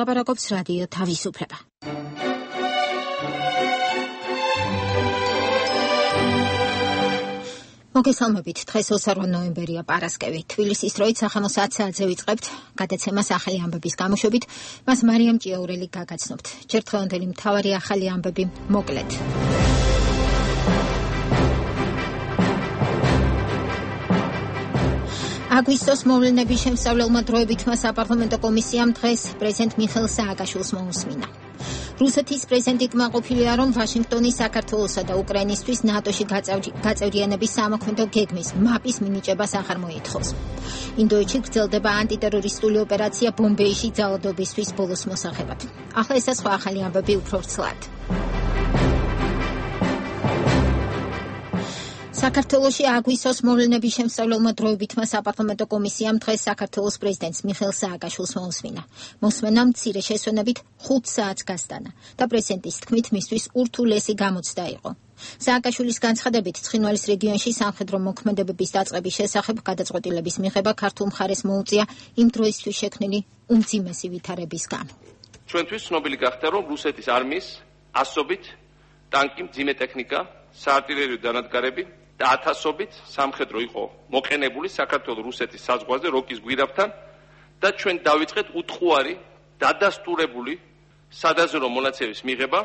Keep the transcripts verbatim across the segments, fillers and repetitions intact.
ლაპარაკობს რადიო თავისუფლება. მოგესალმებით, დღეს ოცდაოთხი ნოემბერია, პარასკევი. თბილისის დროით სახამო საათ საათზე ვიწყებთ გადაცემას ახალი ამბების გამოშვებით, მას მარიამ ჭიაურელი გაგაცნობთ. ჯერ დღევანდელი მთავარი ახალი ამბები მოკლედ. აგვისტოს მოვლენების შემსწავლელმა დროებითმა საპარლამენტო კომისიამ დღეს პრეზიდენტ მიხეილ სააკაშვილს მოუსმინა. რუსეთის პრეზიდენტი კმაყოფილია, რომ ვაშინგტონი საქართველოსა და უკრაინისთვის ნატოში გაწევრიანების სამოქმედო გეგმის მაპის მინიჭებას აღარ მოითხოვს. ინდოეთში გრძელდება ანტიტერორისტული ოპერაცია ბომბეიში ძალადობისთვის ბოლოს მოსახებად. ახლა ესა სხვა ახალი ამბები უფრო ვრცლად. საქართველოში აგვისტოს მოვლენების შემსწავლელმა დროებითმა საპარლამენტო კომისიამ დღეს საქართველოს პრეზიდენტს მიხეილ სააკაშვილს მოусმინა. მოსმენა მცირე შესვენებით ხუთ საათს გასტანა და პრეზიდენტის თქმით მისთვის ურთულესი გამოცდა იყო. სააკაშვილის განცხადებით, ცხინვალის რეგიონში სამხედრო მოქმედებების დაწყების შესახებ გადაწყვეტილების მიღება ქართულ მხარეს მოუწია იმ დროისთვის შექმნილი უმძიმესი ვითარების გამო. ჩვენთვის ცნობილი გახდა, რომ რუსეთის არმიის ასობით ტანკი, მძიმე ტექნიკა, საარტილერიო დანადგარები და ათასობით სამხედრო იყო მოყენებული საქართველოს-რუსეთის საზღვარზე როკის გვირაბთან და ჩვენ დავიწყეთ უთხოვარი დადასტურებული სადაზვერვო მონაცემების მიღება,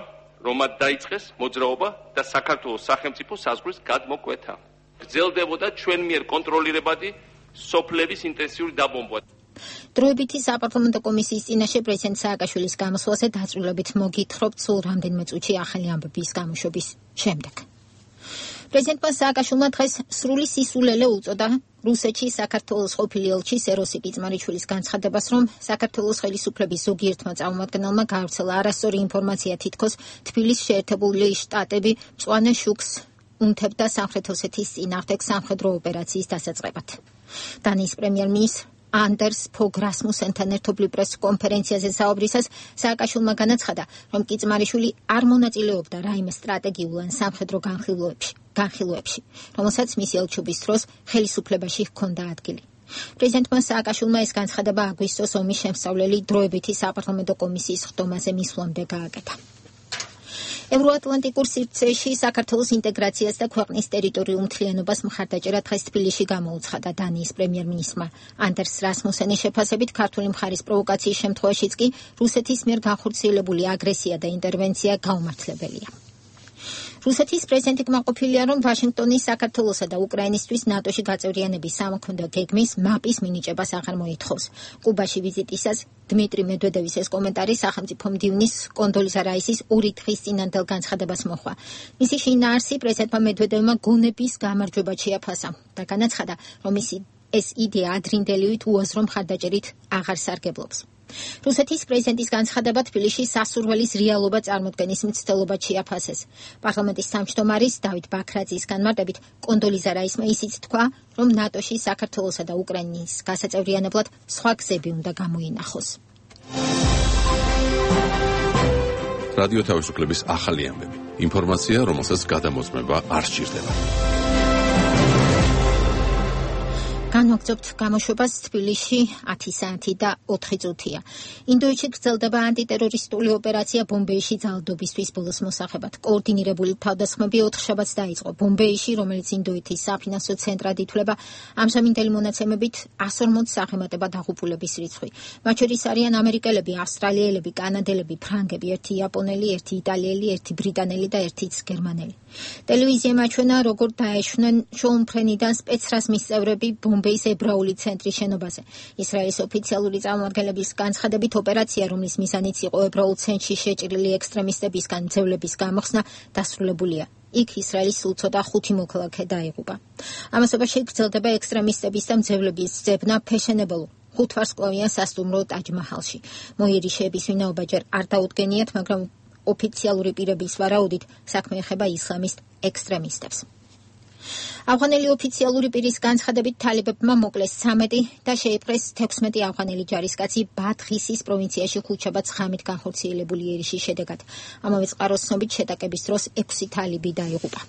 რომ მათ დაიწყეს მოძრაობა და საქართველოს სახელმწიფო საზღვრის გადმოკვეთა. გრძელდებოდა ჩვენ მიერ კონტროლირებადი სოფლების ინტენსიური დაბომბვა. დროებითი საპარლამენტო კომისიის წინაშე პრეზიდენტ სააკაშვილის გამოსვლაზე დაწვრილებით მოგითხრობთ სულ რამდენიმე წუთში ახალი ამბების გამოშვების შემდეგ. პრეზიდენტმა სააკაშვილმა დღეს სრული სისულელე უწოდა რუსეთში საქართველოს ყოფილი ელჩის ეროსი კიწმარიშვილის განცხადებას, რომ საქართველოს ხელისუფლების ზოგიერთმა წარმომადგენელმა გაავრცელა არასწორი ინფორმაცია, თითქოს თბილისის შეერთებული შტატები მწვანე შუქს უნთებდა სამხრეთ ოსეთის წინააღმდეგ სამხედრო ოპერაციის დასაწყებად. დანიის პრემიერ-მინისტრ ანდერს ფოგ რასმუსენთან ერთობლივ პრეს კონფერენციაზე საუბრისას სააკაშვილმა განაცხადა, რომ კიწმარიშვილი არ მონაწილეობდა რაიმე სტრატეგიულ ან სამხედრო განხილვებში, განხილვებში, რომელსაც მისი ელჩობის დროს ხელისუფლებაში ჰქონდა ადგილი. პრეზიდენტმა სააკაშვილმა ეს განცხადება აგვისტოს ომის შემსწავლელი დროებითი საპარლამენტო კომისიის ხდომაზე მისვლამდე გააკეთა. ევროატლანტიკურ სივრცეში საქართველოს ინტეგრაციას და ქვეყნის ტერიტორიულ მთლიანობას მხარდაჭერა დღეს თბილისში გამოუცხადა დანიის პრემიერ-მინისტრმა ანდერს რასმუსენის შეფასებით, ქართული მხარის პროვოკაციის შემთხვევაშიც კი რუსეთის მიერ განხორციელებული აგრესია და ინტერვენცია გაუმართლებელია. რუსეთის პრეზიდენტი კმაყოფილია, რომ ვაშინგტონი საქართველოსა და უკრაინისთვის ნატოში გაწევრიანების სამოქმედო გეგმის მაპის მინიჭებას აღარ მოითხოვს. კუბაში ვიზიტისას დმიტრი მედვედევის ეს კომენტარი სახელმწიფო მდივნის კონდოლიზა რაისის ორი დღის წინანდელ განცხადებას მოჰყვა. მისი შინაარსი პრეზიდენტმა მედვედევმა გონების გამარჯვებად შეაფასა და განაცხადა, რომ მისი ეს იდეა ადრინდელივით უაზრო მხარდაჭერით აღარ სარგებლობს. რუსეთის პრეზიდენტის განცხადება თბილისში სასურველის რეალობა წარმოქმნის მცდელობად შეაფასეს. პარლამენტის თავმჯდომარის დავით ბაქრაძის განმარტებით, კონდოლიზა რაისმა ისიც თქვა, რომ ნატოში საქართველოსა და უკრაინის გასაწევრიანებლად სხვა გზები უნდა გამოინახოს. რადიო თავისუფლების ახალი ამბები. ინფორმაცია, რომელსაც გადამოწმება არ სჭირდება. განვაგრძობთ გამოშვებას თბილისში ათი საათი და ოთხი წუთია. ინდოეთში გრძელდება ანტიტერორისტული ოპერაცია ბომბეიში ძალადობისთვის ბოლოს მოსახებად. კოორდინირებული თავდასხმები ოთხშაბათს დაიწყო ბომბეიში, რომელიც ინდოეთის საფინანსო ცენტრად ითვლება. ამჟამინდელი მონაცემებით εκατს ორმოც აღემატება დაღუპულების რიცხვი. მათ შორის არიან ამერიკელები, ავსტრალიელები, კანადელები, ფრანგები, ერთი იაპონელი, ერთი იტალიელი, ერთი ბრიტანელი და ერთიც გერმანელი. ტელევიზიამ აჩვენა, როგორ დაეშვნენ შოუმფრენიდან სპეცრაზმის წევრები ბომბეის ებრაული ცენტრის შენობაზე. ისრაელის ოფიციალური წარმომადგენლების განცხადებით, ოპერაცია, რომლის მიზანიც იყო ებრაულ ცენტრში შეჭრილი ექსტრემისტებისგან ძევლების გამოხსნა, დასრულებულია. იქ ისრაელის სულ ცოტა ხუთი მოქალაქე დაიღუპა. ამასობაში გრძელდება ექსტრემისტების და მძევლების ძებნა ფეშენებელო ხუთვარსკვლავიან სასტუმრო ტაჯ-მაჰალში. მოიერიშეების ვინაობა ჯერ არ დაუდგენიათ, მაგრამ ოფიციალური პირების ვარაუდით საქმე ეხება ისლამისტ ექსტრემისტებს. ავღანელი ოფიციალური პირის განცხადებით, თალებებმა მოკლეს ცამეტი და შეიპყრეს თექვსმეტი ავღანელი ჯარისკაცი ბადხისის პროვინციაში ხუთშაბათს ღამით განხორციელებული ერიშის შედეგად. ამავე წყაროს ცნობით, შეტაკების დროს ექვსი თალიბი დაიღუპა.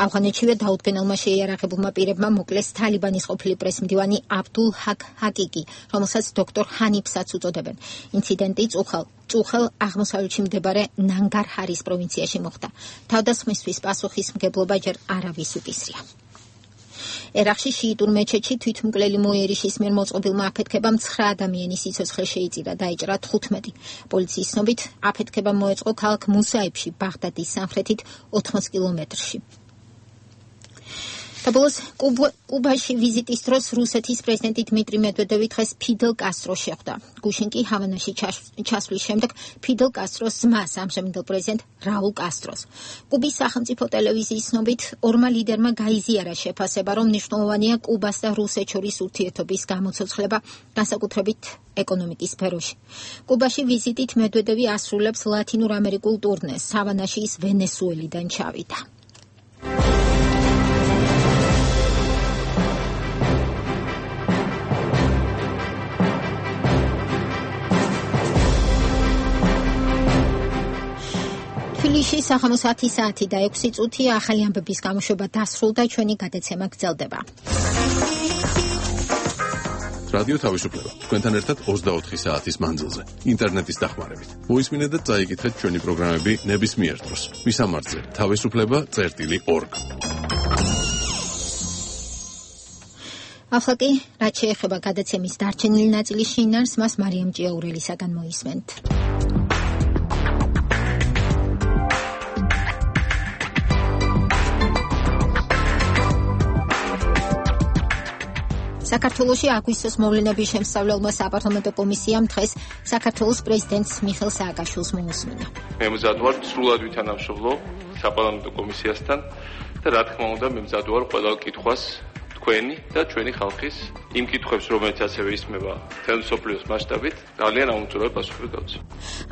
ავღანეთშივე დაუდგენელმა შეიარაღებულმა პირებმა მოკლეს თალიბანის ყოფილი პრესმდივანი აბდულ ჰაკ ჰაკიკი, რომელსაც დოქტორ ჰანიფსაც უწოდებენ. ინციდენტი წუხელ წუხელ აღმოსავლეთში მდებარე ნანგარჰარის პროვინციაში მოხდა. თავდასხმისთვის პასუხისმგებლობა ჯერ არავის უკისრია. ერაყში შიიტურ მეჩეთში თვითმკვლელი მოიერიშის მიერ მოწყობილმა აფეთქებამ ცხრა ადამიანის სიცოცხლე შეიწირა, დაიჭრა თხუთმეტი. პოლიციის ცნობით, აფეთქება მოეწყო ქალაქ მუსაიბში, ბაღდადის სამხრეთით ოთხმოც კილომეტრში. საბოლოოს კუბაში ვიზიტის დროს რუსეთის პრეზიდენტი დმიტრი მედვედევი დღეს ფიდელ კასტროს შეხვდა. გუშინ კი ჰავანაში ჩასვლის შემდეგ ფიდელ კასტროს ძმას, ამჟამინდელ პრეზიდენტ რაულ კასტროს. კუბის სახელმწიფო ტელევიზიის ცნობით, ორმა ლიდერმა გაიზიარა შეფასება, რომ მნიშვნელოვანია კუბას და რუსეთს შორის ურთიერთობის გამოცოცხლება, განსაკუთრებით ეკონომიკის სფეროში. კუბაში ვიზიტით მედვედევი ასრულებს ლათინურ ამერიკულ ტურნეს. ჰავანაში ის ვენესუელიდან ჩავიდა. თბილისში საღამოს ათი საათი და ექვსი წუთი ახალი ამბების გამოშვება დასრულდა, ჩვენი გადაცემა გრძელდება. რადიო თავისუფლება თქვენთან ერთად ოცდაოთხი საათის მანძილზე ინტერნეტის დახმარებით. მოისმინეთ და წაიკითხეთ ჩვენი პროგრამები ნებისმიერ დროს. მისამართზე თავისუფლება წერტილი ორგ. ახლა კი, რაც შეეხება გადაცემის დარჩენილი ნაწილის შინაარსს, მას მარიამ ჭიაურელისაგან მოისმენთ. საქართველოში აგვისტოს მოვლენების შემსწავლელმა საპარლამენტო კომისიამ დღეს საქართველოს პრეზიდენტს მიხეილ სააკაშვილს მოუსმინა. მე მზად ვარ სრულად ვითანამშრომლო საპარლამენტო კომისიასთან და რა თქმა უნდა მე მზად ვარ ყველა კითხვას თქვენი და ჩვენი ხალხის იმ კითხვებს, რომელიც ასევე ისმება მთელ მსოფლიოს მასშტაბით, ძალიან აუმჯობესად პასუხი გავცე.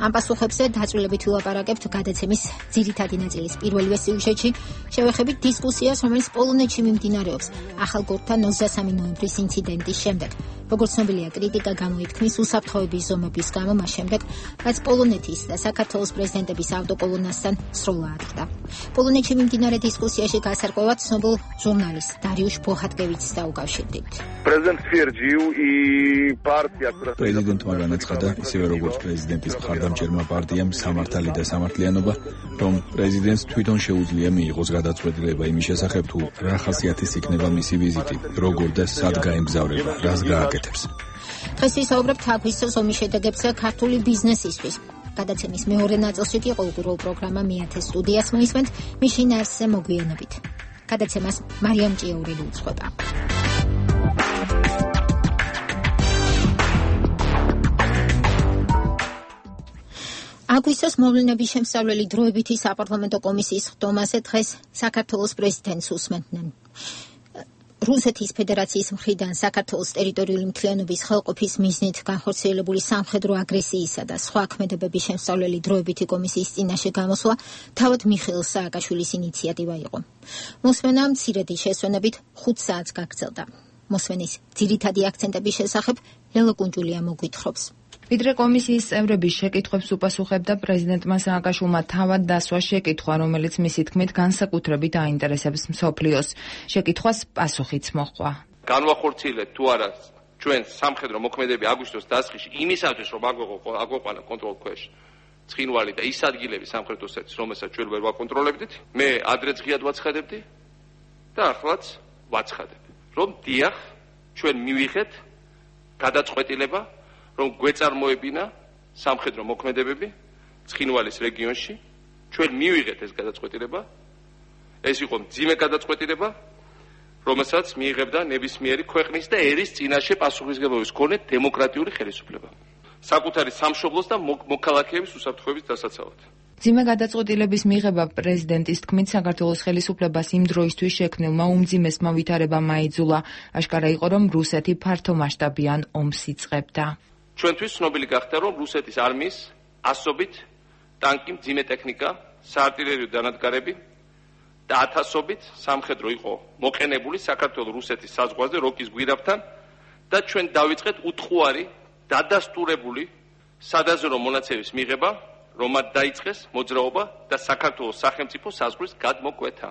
ამ პასუხებზე დაწვრილებით ვილაპარაკებთ გადაცემის ძირითადი ნაწილის პირველივე სიუჟეტში, შევეხებით დისკუსიას, რომელიც პოლონეთში მიმდინარეობს ახალგორთან ოცდამესამე ნოემბრის ინციდენტის შემდეგ. როგორც ცნობილია, კრიტიკა გამოიფთმის უსაფრთხოების ზომების გამო მას შემდეგ, რაც პოლონეთის და საქართველოს პრეზიდენტების ავტოკოლონასთან სროლა ატყდა. პოლონეთში მიმდინარე დისკუსიაში გასარკვევად ცნობილ ჟურნალისტ დარიუშ ბოჰატკევიჩს დაუკავშირდით. პრეზიდენტმა განაცხადა, ისევე როგორც პრეზიდენტის მხარდამჭერმა პარტიამ სამართალი და სამართლიანობა, რომ პრეზიდენტს თვითონ შეუძლია მიიღოს გადაწყვეტილება იმის შესახებ, თუ რა ხასიათის იქნება მისი ვიზიტი, როგორ და სად გაემგზავრება, რას გააკეთებს. დღეს ვისაუბრებთ აგვისტოს ომის შედეგებზე ქართული ბიზნესისთვის. გადაცემის მეორე ნაწილში კი ყოველდღიურ პროგრამა მეათე სტუდიას მოისმენთ, მის შინაარსზე მოგვიანებით. გადაცემას მარიამ ჭიაურელი უძღვება. აგვისტოს მოვლენების შემსწავლელი დროებითი საპარლამენტო კომისიის ხდომაზე დღეს საქართველოს პრეზიდენტს უსმენდნენ. რუსეთის ფედერაციის მხრიდან საქართველოს ტერიტორიული მთლიანობის ხელყოფის მიზნით განხორციელებული სამხედრო აგრესიისა და სხვა ქმედებების შემსწავლელი დროებითი კომისიის წინაშე გამოსვლა თავად მიხეილ სააკაშვილის ინიციატივა იყო. მოსმენა მცირედი შესვენებით ხუთ საათს გაგრძელდა. მოსმენის ძირითადი აქცენტების შესახებ ლელო კუნჯულია მოგვითხრობს. ვიდრე კომისიის წევრების შეკითხვებს უპასუხებდა პრეზიდენტმა სააკაშვილმა თავად დასვა შეკითხვა, რომელიც მისი თქმით განსაკუთრებით აინტერესებს მსოფლიოს. შეკითხვას პასუხიც მოჰყვა. განვახორციელეთ თუ არა ჩვენ სამხედრო მოქმედებები აგვისტოს დასაწყისში იმისათვის, რომ აგვეყანა კონტროლ ქვეშ ცხინვალი და ის ადგილები სამხრეთოსეთის, რომელსაც ჩვენ ვერ ვაკონტროლებდით, მე ადრეც ღიად ვაცხადებდი და ახლაც ვაცხადებ, რომ დიახ, ჩვენ მივიღეთ გადაწყვეტილება, რომ გვეწარმოებინა სამხედრო მოქმედებები ცხინვალის რეგიონში, ჩვენ მივიღეთ ეს გადაწყვეტილება. ეს იყო მძიმე გადაწყვეტილება, რომელსაც მიიღებდა ნებისმიერი ქვეყნის და ერის წინაშე პასუხისმგებლობის მქონე დემოკრატიული ხელისუფლება. საკუთარი სამშობლოს და მოქალაქეების უსაფრთხოების დასაცავად. მძიმე გადაწყვეტილების მიღება პრეზიდენტის თქმით საქართველოს ხელისუფლებას იმ დროისთვის შექმნილმა უმძიმესმა ვითარებამ აიძულა. აშკარა იყო, რომ რუსეთი ფართომასშტაბიან ომს იწყებდა. ჩვენთვის ცნობილი გახდა, რომ რუსეთის არმიის ასობით ტანკი, მძიმე ტექნიკა, საარტილერიო დანადგარები და ათასობით სამხედრო იყო მოყენებული საქართველოს რუსეთის საზღვარზე როკის გვირაბთან და ჩვენ დავიწყეთ უთხოვარი დადასტურებული სადაზრო მონაცემის მიღება, რომ მათ დაიწყეს მოძრაობა და საქართველოს სახელმწიფო საზღვრის გადმოკვეთა.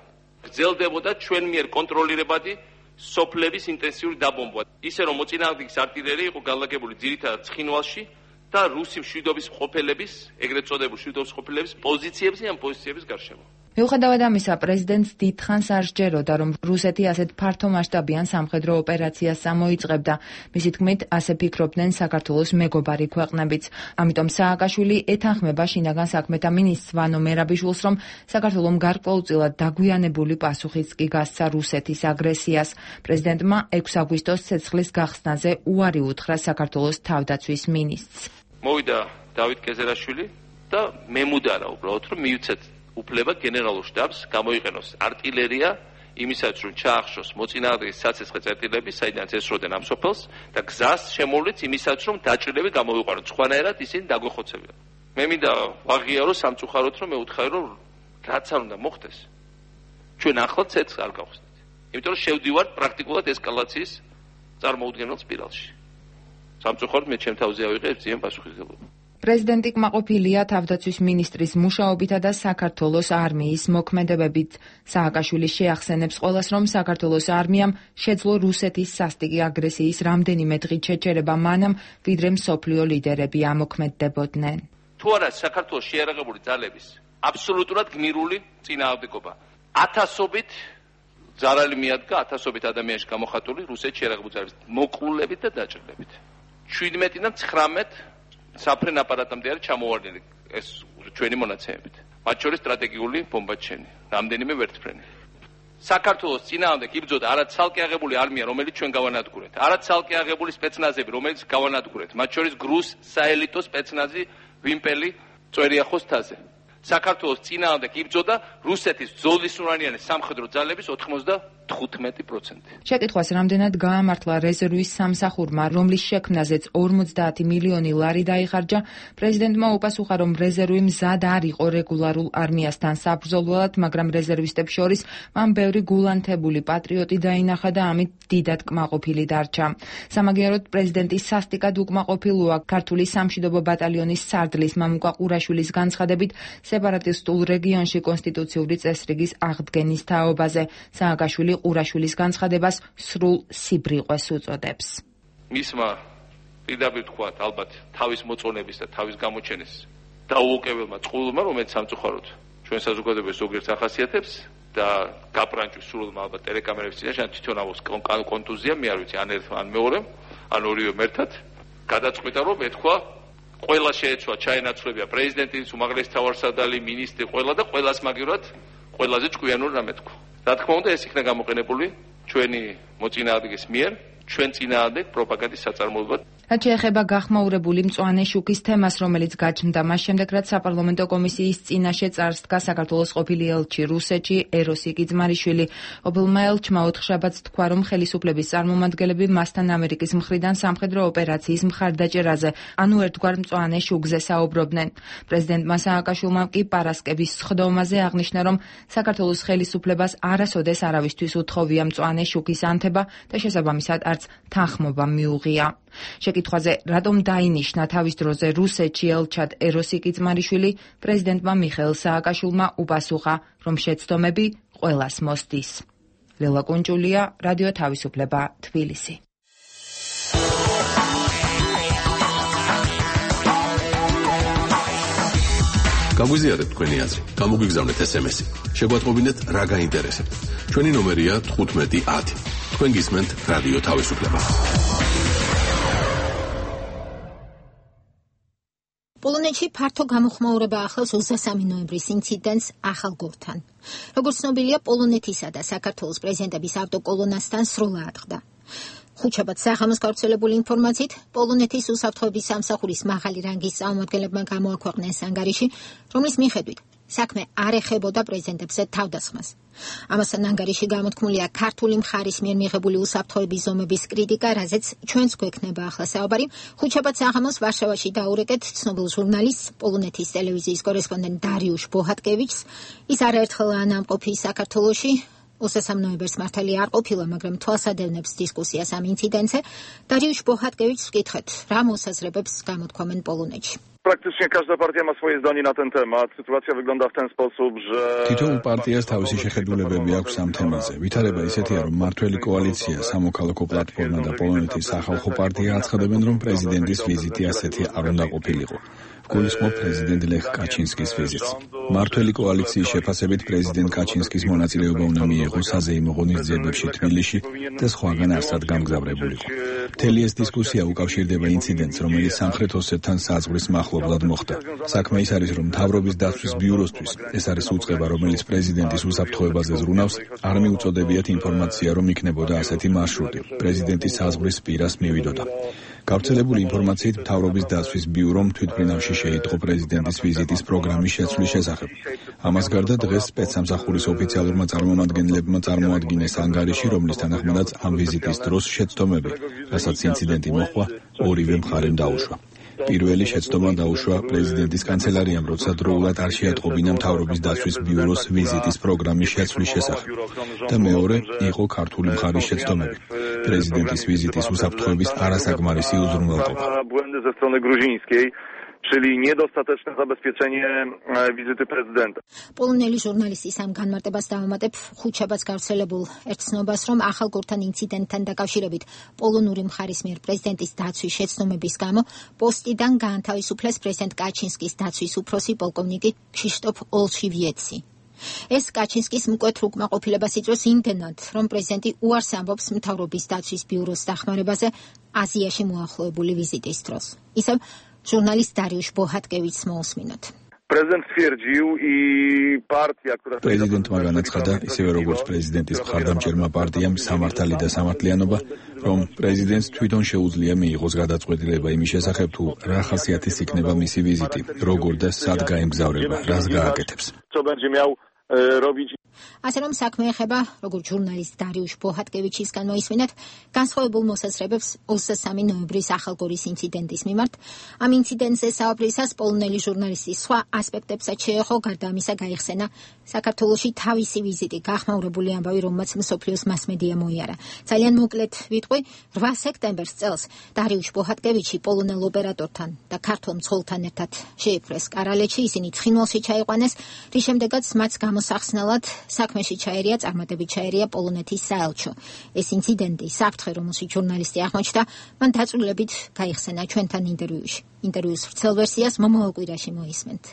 გრძელდებოდა ჩვენ მიერ კონტროლირებადი სოფლების ინტენსიური დაბომბვა. ისე რომ მოწინააღმდეგის артиლერია იყო განლაგებული ძირითადად ცხინვალში და რუსი მშვიდობის მყოფელების, ეგრეთ წოდებული მშვიდობის მყოფელების პოზიციებზე ან პოზიციების გარშემო. მიუხედავად ამისა, პრეზიდენტს დიდხანს არ სჯეროდა, რომ რუსეთი ასეთ ფართომასშტაბიან სამხედრო ოპერაციას წამოიწყებდა. მისი თქმით, ასე ფიქრობდნენ საქართველოს მეგობარი ქვეყნებიც. ამიტომ სააკაშვილი ეთანხმება შინაგან საქმეთა მინისტრს ვანო მერაბიშვილს, რომ საქართველომ გარკვეულწილად დაგვიანებული პასუხიც კი გასცა რუსეთის აგრესიას. პრეზიდენტმა ექვსი აგვისტოს ცეცხლის გახსნაზე უარი უთხრა საქართველოს თავდაცვის მინისტრს. მოვიდა დავით კეზერაშვილი და მემუდარა უბრალოდ, რომ მივცეთ უფლება გენერალურ შტაბს გამოიყენოს артиლერია იმისაც რომ ჩაახშოს მოწინააღმდეგის საცეცხლე წერტილები, საიდანაც ესროდნენ ამ სოფელს და გზას შემოვლით იმისაც რომ დაჭრილები გამოვიყვანოთ. სხვანაირად ისინი დაგვეხოცებიან. მე მინდა ვაღიარო სამწუხაროდ რომ მე ვუთხარი რომ რაც არ უნდა მოხდეს. ჩვენ ახლად ცეცხლს არ გავხსნით. იმიტომ რომ შევდივართ პრაქტიკულად ესკალაციის წარმოუდგენელ სპირალში. სამწუხაროდ მე ჩემ თავზე ავიღე ძიან პასუხისმგებლობა. პრეზიდენტი კმაყოფილია თავდაცვის მინისტრის მუშაობითა და საქართველოს არმიის მოქმედებებით. სააკაშვილი შეახსენებს ყველას, რომ საქართველოს არმიამ შეძლო რუსეთის სასტიკი აგრესიის რამდენიმე დღით შეჩერება მანამ, ვიდრე მსოფლიო ლიდერები ამოქმედდებოდნენ. თუ არა საქართველოს შეიარაღებული ძალების აბსოლუტურად გმირული წინააღმდეგობა. ათასობით ზარალი მიადგა, ათასობით ადამიანში გამოხატული რუსეთის შეიარაღებული ძალების მოკლულებით და დაჭრილებით. შვიდმეტიდან ცხრამეტ საფრენ აპარატამდე არის ჩამოვარდნილი ეს ჩვენი მონაცემებით. მათ შორის სტრატეგიული ბომბაჩენი, რამდენიმე ვერტმფრენი. საქართველოს წინააღმდეგ იბრძოდა არა ცალკე აღებული არმია, რომელიც ჩვენ გავანადგურეთ, არა ცალკე აღებული სპეცნაზები, რომელიც გავანადგურეთ, მათ შორის გრუს საელიტო სპეცნაზი ვიმპელი წვერიახოს თაზე. საქართველოს წინააღმდეგ იბრძოდა რუსეთის ბრძოლისუნარიანი სამხედრო ძალების ოთხმოცდათხუთმეტი პროცენტი. შეკითხვას რამდენად გაამართლა რეზერვის სამსახურმა, რომლის შექმნაზეც ორმოცდაათი მილიონი ლარი დაიხარჯა, პრეზიდენტმა უპასუხა, რომ რეზერვი მზად არ იყო რეგულარულ არმიასთან საბრძოლველად, მაგრამ რეზერვისტებს შორის მან ბევრი გულანთებული პატრიოტი დაინახა და ამით დიდად კმაყოფილი დარჩა. სამაგიეროდ პრეზიდენტის სასტიკად უკმაყოფილოა ქართული სამშვიდობო ბატალიონის სარდლის მამუკა ყურაშვილის განცხადებით სეპარატისტულ რეგიონში კონსტიტუციური წესრიგის აღდგენის თაობაზე. სააკაშვილი ყურაშვილის განცხადებას სრულ სიბრიყვეს უწოდებს. მისმა პირდაპირ თქვათ, ალბათ თავის მოწონების და თავის გამოჩენის დაუოკებელმა წყვილმა, რომელიც სამწუხაროდ ჩვენ საზოგადოებას ზოგიერთ ახასიათებს და გაპრანჭვის სრულმა ალბათ ტელეკამერების წინაშე თვითონ ავოს კონტუზია, მე არ ვიცი, ან ერთ ან მეორემ, ან ორივე ერთად, გადაწყვიტა რომ ეთქვა ყველა შეეცვა ჩაენაცვლებია პრეზიდენტის უმაღლესი თავარსარდალი, მინისტრი, ყველა და ყველას მაგივრად ყველაზე ჭკვიანური რამე თქვა. რა თქმა უნდა, ეს იქნა გამოყენებული ჩვენი მოწინააღმდეგის მიერ, ჩვენ წინააღმდეგ პროპაგანდის საწარმოებლად. რაც შეეხება გახმაურებული მწვანე შუქის თემას, რომელიც გაჩნდა მას შემდეგ, რაც საპარლამენტო კომისიის წინაშე წარსდგა საქართველოს ყოფილი ელჩი რუსეთში ეროსი კიძმარიშვილი. ყოფილმა ელჩმა ოთხშაბათს თქვა, რომ ხელისუფლების წარმომადგენლები მასთან ამერიკის მხრიდან სამხედრო ოპერაციის მხარდაჭერაზე, ანუ ერთგვარ მწვანე შუქზე საუბრობდნენ. პრეზიდენტმა სააკაშვილმა კი პარასკევის სხდომაზე აღნიშნა, რომ საქართველოს ხელისუფლებას არასოდეს არავისთვის უთხოვია მწვანე შუქის ანთება და შესაბამისად არც თანხმობა მიუღია. შეკითხვაზე, რატომ დაინიშნა თავის დროზე რუსეთში ელჩად ეროსი კიძმარიშვილი, პრეზიდენტმა მიხეილ სააკაშვილმა უპასუხა, რომ შეცდომები ყველას მოსდის. ლელა კუნჭულია, რადიო თავისუფლება, თბილისი. გაგვიზიარეთ თქვენი აზრი, გამოგვიგზავნეთ ესემესი. შეგვატყობინეთ რა გაინტერესებთ. ჩვენი ნომერია თხუთმეტი ათი. თქვენ გისმენთ რადიო თავისუფლება. პოლონეთში ფართო გამოხმაურება ახლავს ოცდასამი ნოემბრის ინციდენტს ახალგორთან. როგორც ცნობილია, პოლონეთისა და საქართველოს პრეზიდენტების ავტოკოლონასთან სროლა ატყდა. ხუთშაბათს საღამოს გავრცელებული ინფორმაციით, პოლონეთის უსაფრთხოების სამსახურის მაღალი რანგის წარმომადგენლებმა გამოაქვეყნეს ანგარიში, რომლის მიხედვით საქმე არ ეხებოდა პრეზიდენტებზე თავდასხმას. ამასთან ანგარიში გამოთქმულია ქართული მხარის მიერ მიღებული უსაფრთხოების ზომების კრიტიკა, რაზეც ჩვენც გვექნება ახლა საუბარი. ხუთშაბათს საღამოს ვარშავაში დაურეკეთ ცნობილ ჟურნალისტს, პოლონეთის ტელევიზიის კორესპონდენტ დარიუშ ბოჰატკევიჩს. ის არაერთხელაა ნამყოფი საქართველოში. ოცდასამ ნოემბერს მართალი არ ყოფილა, მაგრამ თვალსადევნებს დისკუსიას ამ ინციდენტზე. დარიუშ ბოჰატკევიჩს ვკითხეთ, რა მოსაზრებებს გამოთქვამენ პოლონეთში. praktycznie każda partia ma swoje zdanie na ten temat. Sytuacja wygląda w ten sposób, że თითოეულ პარტიას თავისი შეხედულებები აქვს ამ თემაზე. ვითარება ისეთია, რომ მართველი კოალიცია, სამოქალაქო პლატფორმა და პოლონეთის სახალხო პარტია აცხადებენ, რომ პრეზიდენტის ვიზიტი ასეთი არ უნდა ყოფილიყო. გულისხმობ პრეზიდენტ ლეხ კაჩინსკის ვიზიტს. მართველი კოალიციის შეფასებით პრეზიდენტ კაჩინსკის მონაწილეობა უნდა მიიღოს საზეიმო ღონისძიებებში თბილისში და სხვაგან არსად გამგზავრებულიყო. მთელი ეს დისკუსია უკავშირდება ინციდენტს, რომელიც სამხრეთ ოსეთთან საზღვრის მახლობლად მოხდა. საქმე ის არის, რომ მთავრობის დაცვის ბიუროსთვის ეს არის უწყება, რომელიც პრეზიდენტის უსაფრთხოებაზე ზრუნავს, არ მიუწოდებიათ ინფორმაცია, რომ იქნებოდა ასეთი მარშრუტი. პრეზიდენტის საზღვრის პირას მივიდოდა. გავრცელებული ინფორმაციით მთავრობის დაცვის ბიურომ თვითმფრინავში შეიტყო პრეზიდენტის ვიზიტის პროგრამის შეცვლის შესახებ. ამას გარდა დღეს სპეცსამსახურის ოფიციალურმა წარმომადგენლებმა წარმოადგინეს ანგარიში, რომლის თანახმადაც ამ ვიზიტის დროს შეცდომები, რასაც ინციდენტი მოჰყვა, ორივე მხარემ დაუშვა. პირველი შეცდომა დაუშვა პრეზიდენტის კანცელარიამ, როცა დროულად არ შეატყობინა მთავრობის დაცვის ბიუროს ვიზიტის პროგრამის შეცვლის შესახებ. და მეორე იყო ქართული მხარის შეცდომები. პრეზიდენტის ვიზიტის უსაფრთხოების არასაკმარისი უზრუნველყოფა. czyli niedostateczne zabezpieczenie wizyty prezydenta. პოლონელი ჟურნალისტის ამ განმარტებას დავამატებ ხუთშაბათს გავრცელებულ ერთცნობას, რომ ახალ გორთან ინციდენტთან დაკავშირებით პოლონური მხარის მიერ პრეზიდენტის დაცვის შეცდომების გამო პოსტიდან გაანთავისუფლეს პრეზიდენტ კაჩინსკის დაცვის უფროსი პოლკოვნიკი ქშიშტოფ ოლშივიეცი. ეს კაჩინსკის მკვეთრ უკმაყოფილებას იწვევს იმდენად, რომ პრეზიდენტი უარს ამბობს მთავრობის დაცვის ბიუროს დახმარებაზე აზიაში მოახლოებული ვიზიტის დროს. ისევ ჟურნალისტ დარიუშ ბოჰატკევიჩს მოусმინოთ. Prezydent stwierdził i partia, która პრეზიდენტმა განაცხადა, ისევე როგორც პრეზიდენტის მხარდამჭერმა პარტიამ სამართალი და სამართლიანობა, რომ პრეზიდენტს თვითონ შეუძლია მიიღოს გადაწყვეტილება იმის შესახებ, თუ რა ხასიათის იქნება მისი ვიზიტი, როგორ და სად გაემგზავრება, რას გააკეთებს. co będzie miał robić. ასე რომ საქმე ეხება, როგორც ჟურნალისტ დარიუშ ბოჰატკევიჩისგან მოისმინეთ, განსხვავებულ მოსაზრებებს ოცდასამი ნოემბრის ახალგორის ინციდენტის მიმართ. ამ ინციდენტზე საუბრისას პოლონელი ჟურნალისტის სხვა ასპექტებსაც შეეხო, გარდა ამისა გაიხსენა საქართველოში თავისი ვიზიტი, გახმაურებული ამბავი, რომელმაც მსოფლიოს მასმედია მოიარა. ძალიან მოკლედ ვიტყვი, რვა სექტემბერს წელს დარიუშ ბოჰატკევიჩი პოლონელ ოპერატორთან და ქართულ მცველთან ერთად შეიფრეს კარალეთში, ისინი ცხინვალში ჩაიყვანეს, რის შემდეგაც მათ გამოსახსნელად საქმეში ჩაერია, წარმატებით ჩაერია პოლონეთის საელჩო. ეს ინციდენტი, საფრთხე, რომელშიც ჟურნალისტი აღმოჩნდა, მან დაწვრილებით გაიხსენა ჩვენთან ინტერვიუში. ინტერვიუს ვრცელ ვერსიას მომავალ კვირაში მოისმენთ.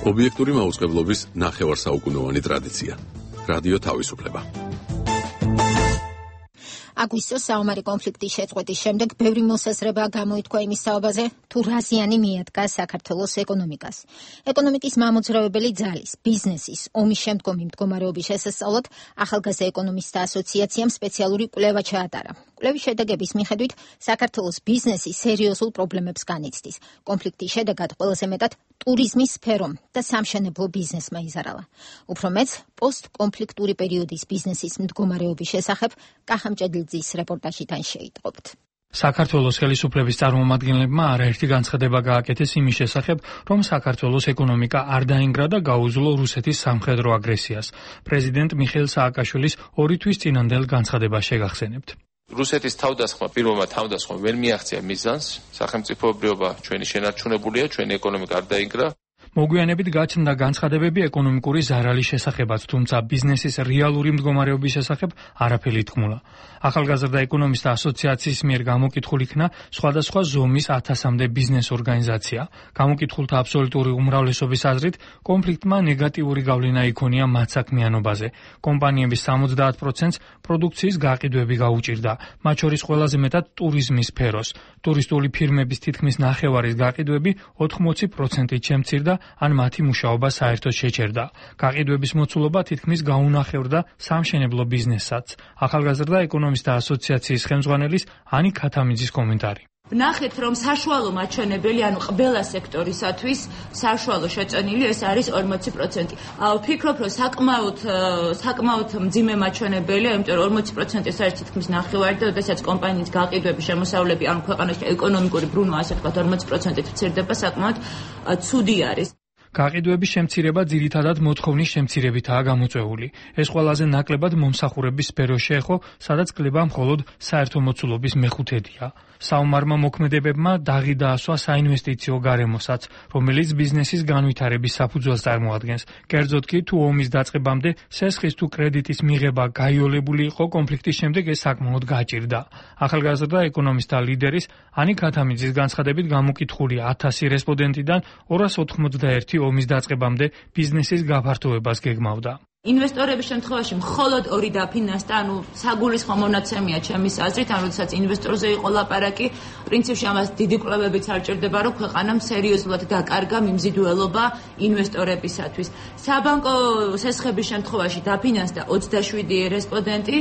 ობიექტური მაუწყებლობის ნახევარსაუკუნოვანი ტრადიცია. რადიო თავისუფლება. აგვისტოს საომარი კონფლიქტის შეწყვეტის შემდეგ ბევრი მოსაზრება გამოითქვა იმის საუბაზე, თუ რა ზიანი მიადგა საქართველოს ეკონომიკას. ეკონომიკის მამოძრავებელი ძალის, ბიზნესის, ომის შემდგომი მდგომარეობის შესასწავლად ახალგაზრდა ეკონომისტთა ასოციაციამ სპეციალური კვლევა ჩაატარა. კვლევის შედეგების მიხედვით საქართველოს ბიზნესი სერიოზულ პრობლემებს განიცდის. კონფლიქტის შედეგად ყველაზე მეტად ტურიზმის სფერომ და სამშენებლო ბიზნესმა იზარალა. უფრო მეც პოსტკონფლიქტური პერიოდის ბიზნესის მდგომარეობის შესახებ კახამჭედლიძის რეპორტაჟიდან შეიტყობთ. საქართველოს ხელისუფლების წარმომადგენლებმა არაერთი განცხადება გააკეთეს იმის შესახებ, რომ საქართველოს ეკონომიკა არ დაინგრა და გაუძლო რუსეთის სამხედრო აგრესიას. პრეზიდენტ მიხეილ სააკაშვილის ორი თვის წინანდელ განცხადებას შეგახსენებთ. რუსეთის თავდასხმა, პირველმა თავდასხმა ვერ მიაღწია მიზანს, სახელმწიფოებრიობა ჩვენი შენარჩუნებულია, ჩვენი ეკონომიკა არ დაინგრა. მოგვიანებით გაჩნდა განცხადებები ეკონომიკური ზარალის შესახებაც, თუმცა ბიზნესის რეალური მდგომარეობის შესახებ არაფერი თქმულა. ახალგაზრდა ეკონომისტთა ასოციაციის მიერ გამოკითხულ იქნა სხვადასხვა ზომის ათასამდე ბიზნეს ორგანიზაცია. გამოკითხულთა აბსოლუტური უმრავლესობის აზრით, კონფლიქტმა ნეგატიური გავლენა იქონია მათ საქმიანობაზე. კომპანიების სამოცდაათ პროცენტს პროდუქციის გაყიდვები გაუჭირდა, მათ შორის ყველაზე მეტად ტურიზმის სფეროს. ტურისტული ფირმების თითქმის ნახევარის გაყიდვები ოთხმოცი პროცენტით შემცირდა, ან მათი მუშაობა საერთოდ შეჩერდა. გაყიდვების მოცულობა თითქმის გაუნახევრდა სამშენებლო ბიზნესსაც. ახალგაზრდა ეკონომისტთა ასოციაციის ხელმძღვანელის ანი ქათამიძის კომენტარი. ვნახეთ, რომ საშუალო მაჩვენებელი, ანუ ყველა სექტორისათვის საშუალო შეწონილი ეს არის ორმოცი პროცენტი. ვფიქრობ, რომ საკმაოდ საკმაოდ მძიმე მაჩვენებელია, იმიტომ რომ ორმოცი პროცენტი ეს არის თითქმის ნახევარი და შესაძაც კომპანიის გაყიდვების შემოსავლები, ანუ ქვეყანაში ეკონომიკური ბრუნვა, ასე ვთქვათ, ორმოცი პროცენტით მცირდება, საკმაოდ ცუდი არის. გაყიდვების შემცირება ძირითადად მოთხოვნის შემცირებითაა გამოწვეული. ეს ყველაზე ნაკლებად მომსახურების სფეროს შეეხო, სადაც კლება მხოლოდ საერთო მოცულობის მეხუთედია. საომარმა მოქმედებებმა დაღი დაასვა საინვესტიციო გარემოსაც, რომელიც ბიზნესის განვითარების საფუძველს წარმოადგენს. კერძოდ კი, თუ ომის დაწყებამდე სესხის თუ კრედიტის მიღება გაიოლებული იყო, კონფლიქტის შემდეგ ეს საკმაოდ გაჭირდა. ახალგაზრდა ეკონომისტთა ლიდერის ანიკ ათამიძის განცხადებით გამოკითხული ათასი რესპონდენტიდან ორას ოთხმოცდაერთი ომის დაწყებამდე ბიზნესის გაფართოებას გეგმავდა. ინვესტორების შემთხვევაში მხოლოდ ორი დაფინანსდა, ანუ საგულისხმო მონაცემია ჩემის აზრით, ან როდესაც ინვესტორზე იყო ლაპარაკი, პრინციპში ამას დიდი კვლევებიც არ ჭირდება, რომ ქვეყანამ სერიოზულად დაკარგა მიმზიდველობა ინვესტორებისათვის. საბანკო სესხების შემთხვევაში დაფინანსდა ოცდაშვიდი რესპონდენტი,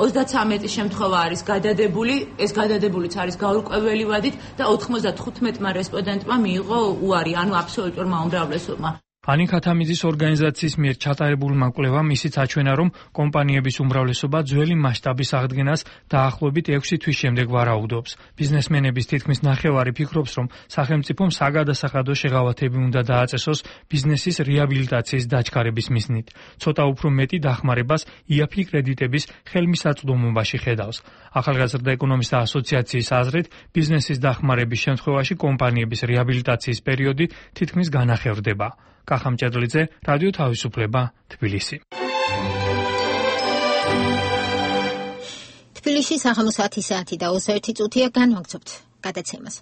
ოცდაცამეტი შემთხვევა არის გადადებული, ეს გადადებულიც არის გაურკვეველი ვადით და ოთხმოცდათხუთმეტმა რესპონდენტმა მიიღო უარი, ანუ აბსოლუტურმა უმრავლესობმა. ანიკ ათამიძის ორგანიზაციის მიერ ჩატარებულმა კვლევამ ისიც აჩვენა, რომ კომპანიების უმრავლესობა ძველი მასშტაბის აღდგენას დაახლოებით ექვსი თვის შემდეგ ვარაუდობს. ბიზნესმენების თითქმის ნახევარი ფიქრობს, რომ სახელმწიფომ საგადასახადო შეღავათები უნდა დააწესოს ბიზნესის რეაბილიტაციის დაჩქარების მიზნით. ცოტა უფრო მეტი დახმარებას იაფი კრედიტების ხელმისაწვდომობაში ხედავს. ახალგაზრდა ეკონომისტთა ასოციაციის აზრით, ბიზნესის დახმარების შემთხვევაში კომპანიების რეაბილიტაციის პერიოდი თითქმის განახევრდება. კახა მჭედლიძე, რადიო თავისუფლება, თბილისი. თბილისში საღამოს ათი საათი და ოცდაერთი წუთია განვაგრძობთ გადაცემას.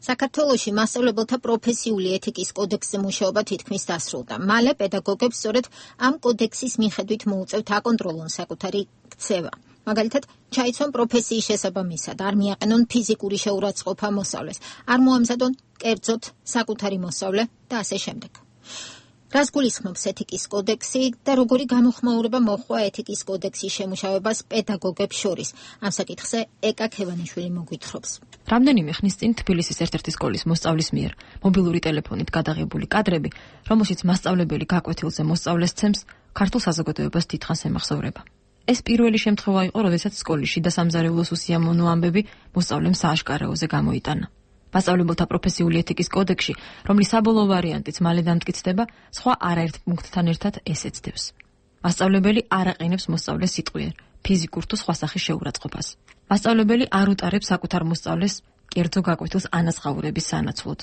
საქართველოში მასწავლებელთა პროფესიული ეთიკის კოდექსზე მუშაობა თითქმის დასრულდა. მალე პედაგოგებს სწორედ ამ კოდექსის მიხედვით მოუწევთ აკონტროლონ საკუთარი ქცევა. მაგალითად, ჩაიცვან პროფესიის შესაბამისად, არ მიაყენონ ფიზიკური შეურაცხყოფა მოსწავლეს, არ მოამზადონ კერძოდ საკუთარი მოსწავლე და ასე შემდეგ. რას გულისხმობს ეთიკის კოდექსი და როგორი გამოხმაურება მოჰყვა ეთიკის კოდექსის შემუშავებას პედაგოგებს შორის? ამ საკითხზე ეკა ქევანიშვილი მოგვითხრობს. რამდენიმე ხნის წინ თბილისის ერთ-ერთი სკოლის მოსწავლის მიერ მობილური ტელეფონით გადაღებული კადრები, რომელშიც მასწავლებელი გაკვეთილზე მოსწავლეს ცემს, ქართულ საზოგადოებას დიდხანს ემახსოვრება. ეს პირველი შემთხვევა იყო, როდესაც სკოლის შიდა სამზარეულოს უსიამოვნო ამბები მოსწავლემ სააშკარაოზე გამოიტანა. მასწავლებელთა პროფესიული ეთიკის კოდექსში, რომლის საბოლოო ვარიანტიც მალე დამტკიცდება, სხვა არაერთ პუნქტთან ერთად ესეც დევს. მასწავლებელი არ აყენებს მოსწავლეს სიტყვიერ, ფიზიკურ თუ სხვა სახის შეურაცხყოფას. მასწავლებელი არ უტარებს საკუთარ მოსწავლეს კერძო გაკვეთილს ანაზღაურების სანაცვლოდ.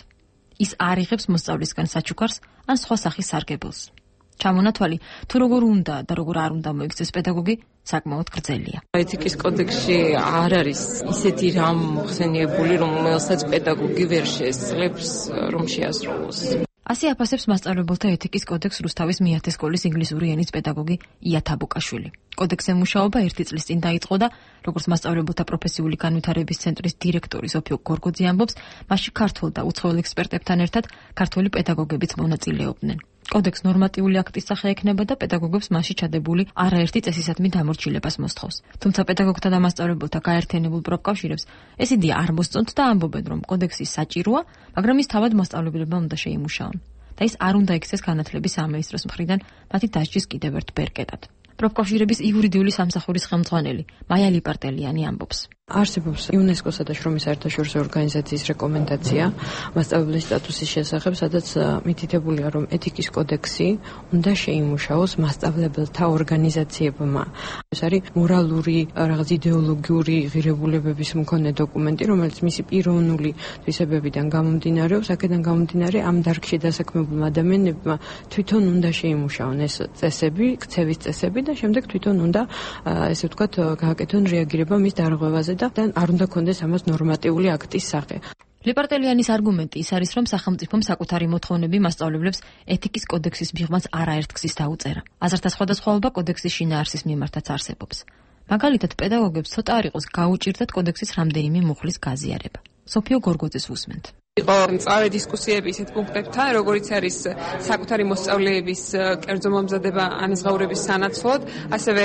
ის არ იღებს მოსწავლისგან საჩუქარს ან სხვა სახის სარგებელს. ჩამონათვალი თუ როგორ უნდა და როგორ არ უნდა მოიქცეს პედაგოგი საკმაოდ გრძელია. ეთიკის კოდექსში არ არის ისეთი რამ ხსენიებული, რომელსაც პედაგოგი ვერ შეესწრებს, რომ შეასრულოს. ასე აფასებს მასწავლებელთა ეთიკის კოდექსს რუსთავის მეათე სკოლის ინგლისური ენის პედაგოგი ია თაბუკაშვილი. კოდექსზე მუშაობა ერთი წლის წინ დაიწყო და როგორც მასწავლებელთა პროფესიული განვითარების ცენტრის დირექტორი სოფიო გორგოძე ამბობს, მასში ქართულ და უცხოელ ექსპერტებთან ერთად ქართული პედაგოგებიც მონაწილეობდნენ. კოდექს ნორმატიული აქტის სახე ექნება და პედაგოგებს მასში ჩადებული არაერთი წესისადმი დამორჩილებას მოსთხოვს. თუმცა პედაგოგთა და მასწავლებელთა გაერთიანებულ პროფკავშირებს ეს იდეა არ მოსწონთ და ამბობენ, რომ კოდექსი საჭიროა, მაგრამ ის თავად მასწავლებლებმა უნდა შეიმუშაონ და ის არ უნდა იქცეს განათლების სამინისტროს მხრიდან მათი დასჯის კიდევ ერთ ბერკეტად. პროფკავშირების იურიდიული სამსახურის ხელმძღვანელი მაია ლიპარტელიანი ამბობს. არსებობს იუნესკოს და შრომის საერთაშორისო ორგანიზაციის რეკომენდაცია მასწავლებლის სტატუსის შესახებ, სადაც მითითებულია, რომ ეთიკის კოდექსი უნდა შეიმუშაოს მასწავლებელთა ორგანიზაციებმა. ეს არის მორალური, რაღაც იდეოლოგიური ღირებულებების მქონე დოკუმენტი, რომელიც მისი პიროვნული თვისებებიდან გამომდინარეობს, აქედან გამომდინარე ამ დარგში დასაქმებულმა ადამიანებმა თვითონ უნდა შეიმუშაონ ეს წესები, ქცევის წესები და შემდეგ თვითონ უნდა, ესე ვთქვათ, გააკეთონ რეაგირება მის დარღვევაზე და არ უნდა კონდეს ამას ნორმატიული აქტის სახე. ლიპარტელიანის არგუმენტი ის არის, რომ სახელმწიფომ საკუთარი მოთხოვნები მასწავლებლებს ეთიკის კოდექსის მიღმას არაერთ გზის დაუწერა. აზრთა სხვადასხვაობა კოდექსის შინაარსის მიმართაც არსებობს. მაგალითად, პედაგოგებს ცოტა არ იყოს გაუჭირდათ კოდექსის რამდენიმე მუხლის გაზიარება. სოფიო გორგოძეს უსმენთ. იყო მწვავე დისკუსიები ისეთ პუნქტებთან, როგორიც არის საკუთარი მოსწავლეების კერძო მომზადება ანაზღაურების სანაცვლოდ, ასევე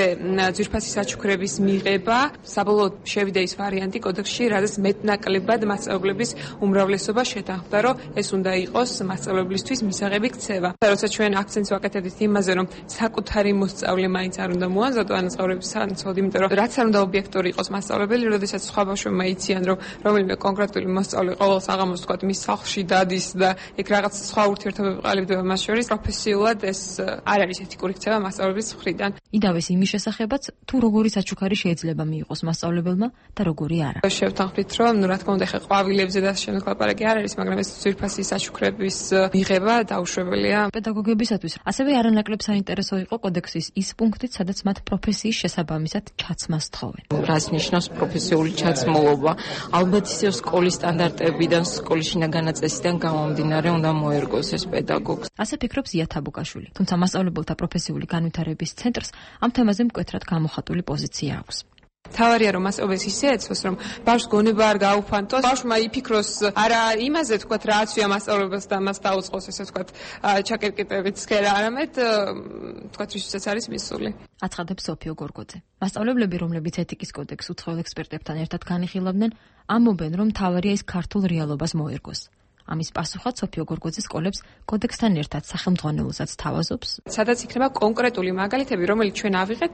ძვირფასი საჩუქრების მიღება. საბოლოოდ შევიდა ის ვარიანტი კოდექსში, რადგან მეტნაკლებად მასწავლებლების უმრავლესობა შეთანხმდა, რომ ეს უნდა იყოს მასწავლებლისთვის მისაღები ქცევა. როცა ჩვენ აქცენტს ვაკეთებთ იმაზე, რომ საკუთარი მოსწავლე მაინც არ უნდა მოამზადო ანაზღაურების სანაცვლოდ, იმიტომ რომ რაც არ უნდა ობიექტური იყოს მასწავლებელი, როდესაც სხვა ბავშვებმა იციან, რომ რომელიმე კონკრეტული მოსწავლე ყოველ საღამოს თქვა ვთქვათ, მის სახლში დადის და ეგ რაღაც სხვა ურთიერთობები ყალიბდება მას შორის, პროფესიულად ეს არ არის ეთიკური ქცევა მასწავლებლის მხრიდან. იდავეს იმის შესახებაც, თუ როგორი საჩუქარი შეიძლება მიიღოს მასწავლებელმა და როგორი არა. შევთანხმდით, რომ ნუ რა თქმა უნდა, ხე ყვავილებზე და შემდეგ ლაპარაკი არ არის, მაგრამ ეს ძვირფასი საჩუქრების მიღება დაუშვებელია პედაგოგებისათვის. ასევე არანაკლებ საინტერესო იყო კოდექსის ის პუნქტიც, სადაც მათ პროფესიის შესაბამისად ჩაცმას თხოვენ. რას ნიშნავს პროფესიული ჩაცმულობა? ალბათ ისევ სკოლის სტანდარტებიდან, სკოლის განაწესიდან გამომდინარე უნდა მოერგოს ეს პედაგოგს. ასე ფიქრობს ზია თაბუკაშვილი. თუმცა მასწავლებელთა პროფესიული განვითარების ცენტრს ამ თემაზე მკვეთრად გამოხატული პოზიცია აქვს. თავარია რომ მასწავლებელს ისე ეცოს რომ ბავშვს გონება არ გაუფანტოს, ბავშვმა იფიქროს არა იმაზე თქვათ რა აცვია მასწავლებელს და მას დაუწყოს ესე თქვათ ჩაკერკიტებით სქერა, არამედ თქვათ ვისაც არის მისული. აცხადებს სოფიო გორგოძე. მასწავლებლები, რომლებიც ეთიკის კოდექსს უცხოელ ექსპერტებთან ერთად განიხილავდნენ, ამბობენ, რომ თავარია ის ქართულ რეალობას მოერგოს. ამის პასუხად სოფიო გორგოძე სკოლებს კოდექსთან ერთად სახელმძღვანელოსაც თავაზობს. სადაც იქნება კონკრეტული მაგალითები, რომელიც ჩვენ ავიღეთ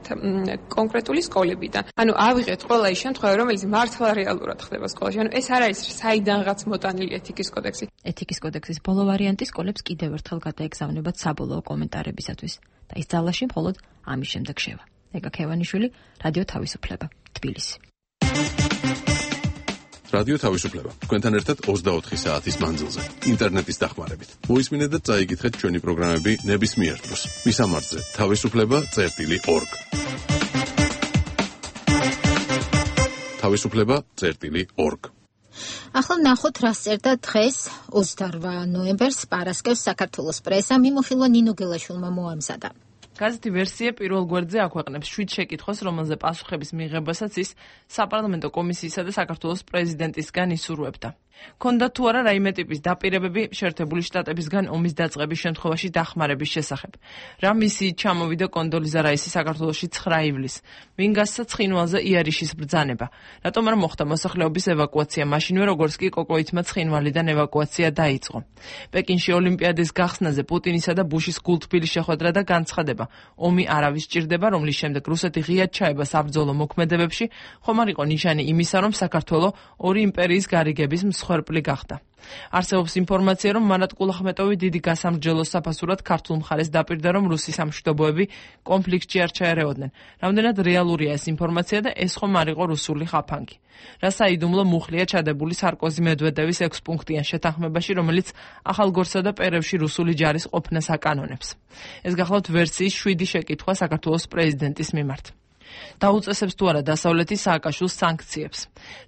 კონკრეტული სკოლებიდან. ანუ ავიღეთ ყველა ის შემთხვევა, რომელიც მართლა რეალურად ხდება სკოლაში. ანუ ეს არ არის საიდანღაც მოტანილი ეთიკის კოდექსი. ეთიკის კოდექსის ბოლო ვარიანტი სკოლებს კიდევ ერთხელ გადაეგზავნებათ საბოლოო კომენტარებისათვის და ის ძალაში მხოლოდ ამის შემდეგ შევა. ეგა ქევანიშვილი, რადიო თავისუფლება, თბილისი. რადიო თავისუფლება. თქვენთან ერთად ოცდაოთხი საათის მანძილზე. ინტერნეტის დახმარებით. მოისმინეთ და წაიკითხეთ ჩვენი პროგრამები ნებისმიერ დროს. მისამართზე თავისუფლება წერტილი ორგ. თავისუფლება წერტილი ორგ. ახლა ნახოთ რა წერდა დღეს ოცდაორვა ნოემბერს პარასკევს საქართველოს პრესა მიმოხილვა ნინო გელაშვილმა მოამზადა. გაზეთი ვერსია პირველ გვერდზე აქვეყნებს შვიდ შეკითხვას, რომელზე პასუხების მიღებასაც ის საპარლამენტო კომისიისა და საქართველოს პრეზიდენტისგან ისურვებდა. ქონდა თუ არა რაიმე ტიპის დაპირებები შეერთებული შტატებისგან ომის დაწყების შემთხვევაში დახმარების შესახებ. რა მისიით ჩამოვიდა კონდოლიზა რაისი საქართველოში ცხრა ივლისს? ვინ გასცა ცხინვალზე იარიშის ბრძანება? რატომ არ მოხდა მოსახლეობის ევაკუაცია მაშინვე, როგორც კი კოკოითმა ცხინვალიდან ევაკუაცია დაიწყო? პეკინში ოლიმპიადის გახსნაზე პუტინისა და ბუშის გულთბილი შეხვედრა და განცხადება. ომი არავის სჭირდება, რომლის შემდეგ რუსეთი ღიად ჩაება საბრძოლო მოქმედებებში, ხომ არ იყო ნიშანი იმისა, რომ საქართველო ორი იმპერიის გარიგების მსხვერპლი გახდა. არსებობს ინფორმაცია, რომ მარატ კულახმეტოვი დიდი გასამრჯელოს საფასურად ქართულ მხარეს დაპირდა, რომ რუსი სამშვიდობოები კონფლიქტში არ ჩაერეოდნენ. რამდენად რეალურია ეს ინფორმაცია და ეს ხომ არ იყო რუსული ხაფანგი? რა საიდუმლო მუხლია ჩადებული სარკოზი მედვედევის ექვსპუნქტიან შეთანხმებაში, რომელიც ახალგორსა და პერევში რუსული ჯარის ყოფნას აკანონებს. ეს გახლავთ ვერსიის შვიდი შეკითხვა საქართველოს პრეზიდენტის მიმართ. დაუწესებს თუ არა დასავლეთის სააკაშვილს სანქციებს.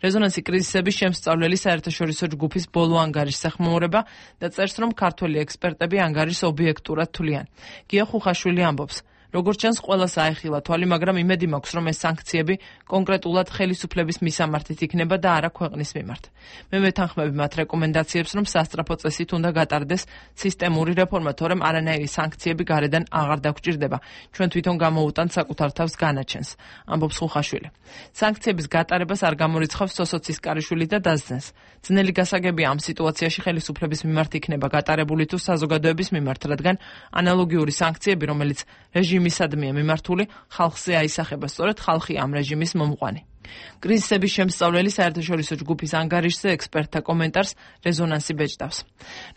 რეზონანსი კრიზისების შემსწავლელი საერთაშორისო ჯგუფის ბოლო ანგარიშს ეხმაურება და წერს, რომ ქართველი ექსპერტები ანგარიშს ობიექტურად თვლიან. გია ხუხაშვილი ამბობს, როგორც ჩანს, ყველას აეხილა თვალი, მაგრამ იმედი მაქვს, რომ ეს სანქციები კონკრეტულად ხელისუფლების მისამართით იქნება და არა ქვეყნის მიმართ. მე მეთანხმები მათ რეკომენდაციებს, რომ სასწრაფო წესით უნდა გატარდეს სისტემური რეფორმა, თორემ არანაირი სანქციები გარედან აღარ დაგვჭირდება. ჩვენ თვითონ გამოუტანთ საკუთარ თავს განაჩენს, ამბობს ხუხაშვილი. სანქციების გატარებას არ გამორიცხავს სოსოცის კარიშვილი და დასძენს. ძნელი გასაგებია ამ სიტუაციაში ხელისუფლების მიმართ იქნება გატარებული თუ საზოგადოების მიმართ, რადგან ანალოგიური სანქციები, რომელიც რეჟიმისადმია მიმართული, ხალხზე აისახება, სწორედ ხალხი ამ რეჟიმის მომყვანი. კრიზისების შემსწავლელი საერთაშორისო ჯგუფის ანგარიშზე ექსპერტთა კომენტარს რეზონანსი ბეჭდავს.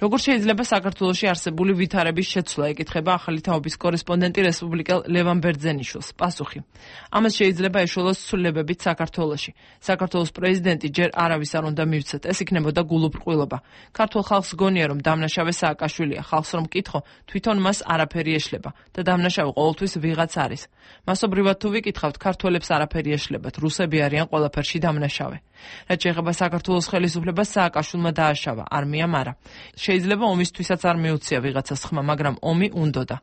როგორც შეიძლება საქართველოში არსებული ვითარების შეცვლა, ეკითხება ახალი თაობის კორესპონდენტი რესპუბლიკელ ლევან ბერძენიშვილს. პასუხი: ამას შეიძლება ეშველოს ცვლილებებით საქართველოში. საქართველოს პრეზიდენტი ჯერ არავის არ უნდა მივცეთ, ეს იქნებოდა გულუბრყვილობა. ქართულ ხალხს გონია, რომ დამნაშავე სააკაშვილია, ხალხს რომ კითხო, თვითონ მას არაფერი ეშლება და დამნაშავე ყოველთვის ვიღაც არის. მასობრივად თუ ვიკითხავთ, ქართველებს არაფერი ეშლებათ, რუსები არიან ყველაფერში დამნაშავე. რაც შეეხება საქართველოს ხელისუფლებას, სააკაშვილმა დააშავა, არმიამ არა. შეიძლება ომისთვისაც არ მიუცია ვიღაცას ხმა, მაგრამ ომი უნდოდა.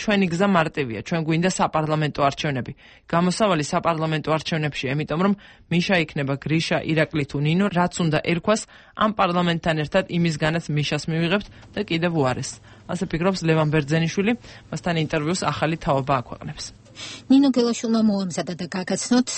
ჩვენი გზა მარტივია, ჩვენ გვინდა საპარლამენტო არჩევნები. გამოსავალი საპარლამენტო არჩევნებში, იმიტომ რომ მიშა იქნება გრიშა, ირაკლი თუ ნინო, რაც უნდა ერქვას, ამ პარლამენტთან ერთად იმისგანაც მიშას მივიღებთ და კიდევ უარეს. ასე ფიქრობს ლევან ბერძენიშვილი, მასთან ინტერვიუს ახალი თაობა აქვეყნებს. ნინო გელაშვილმა მოამზადა და გაგაცნოთ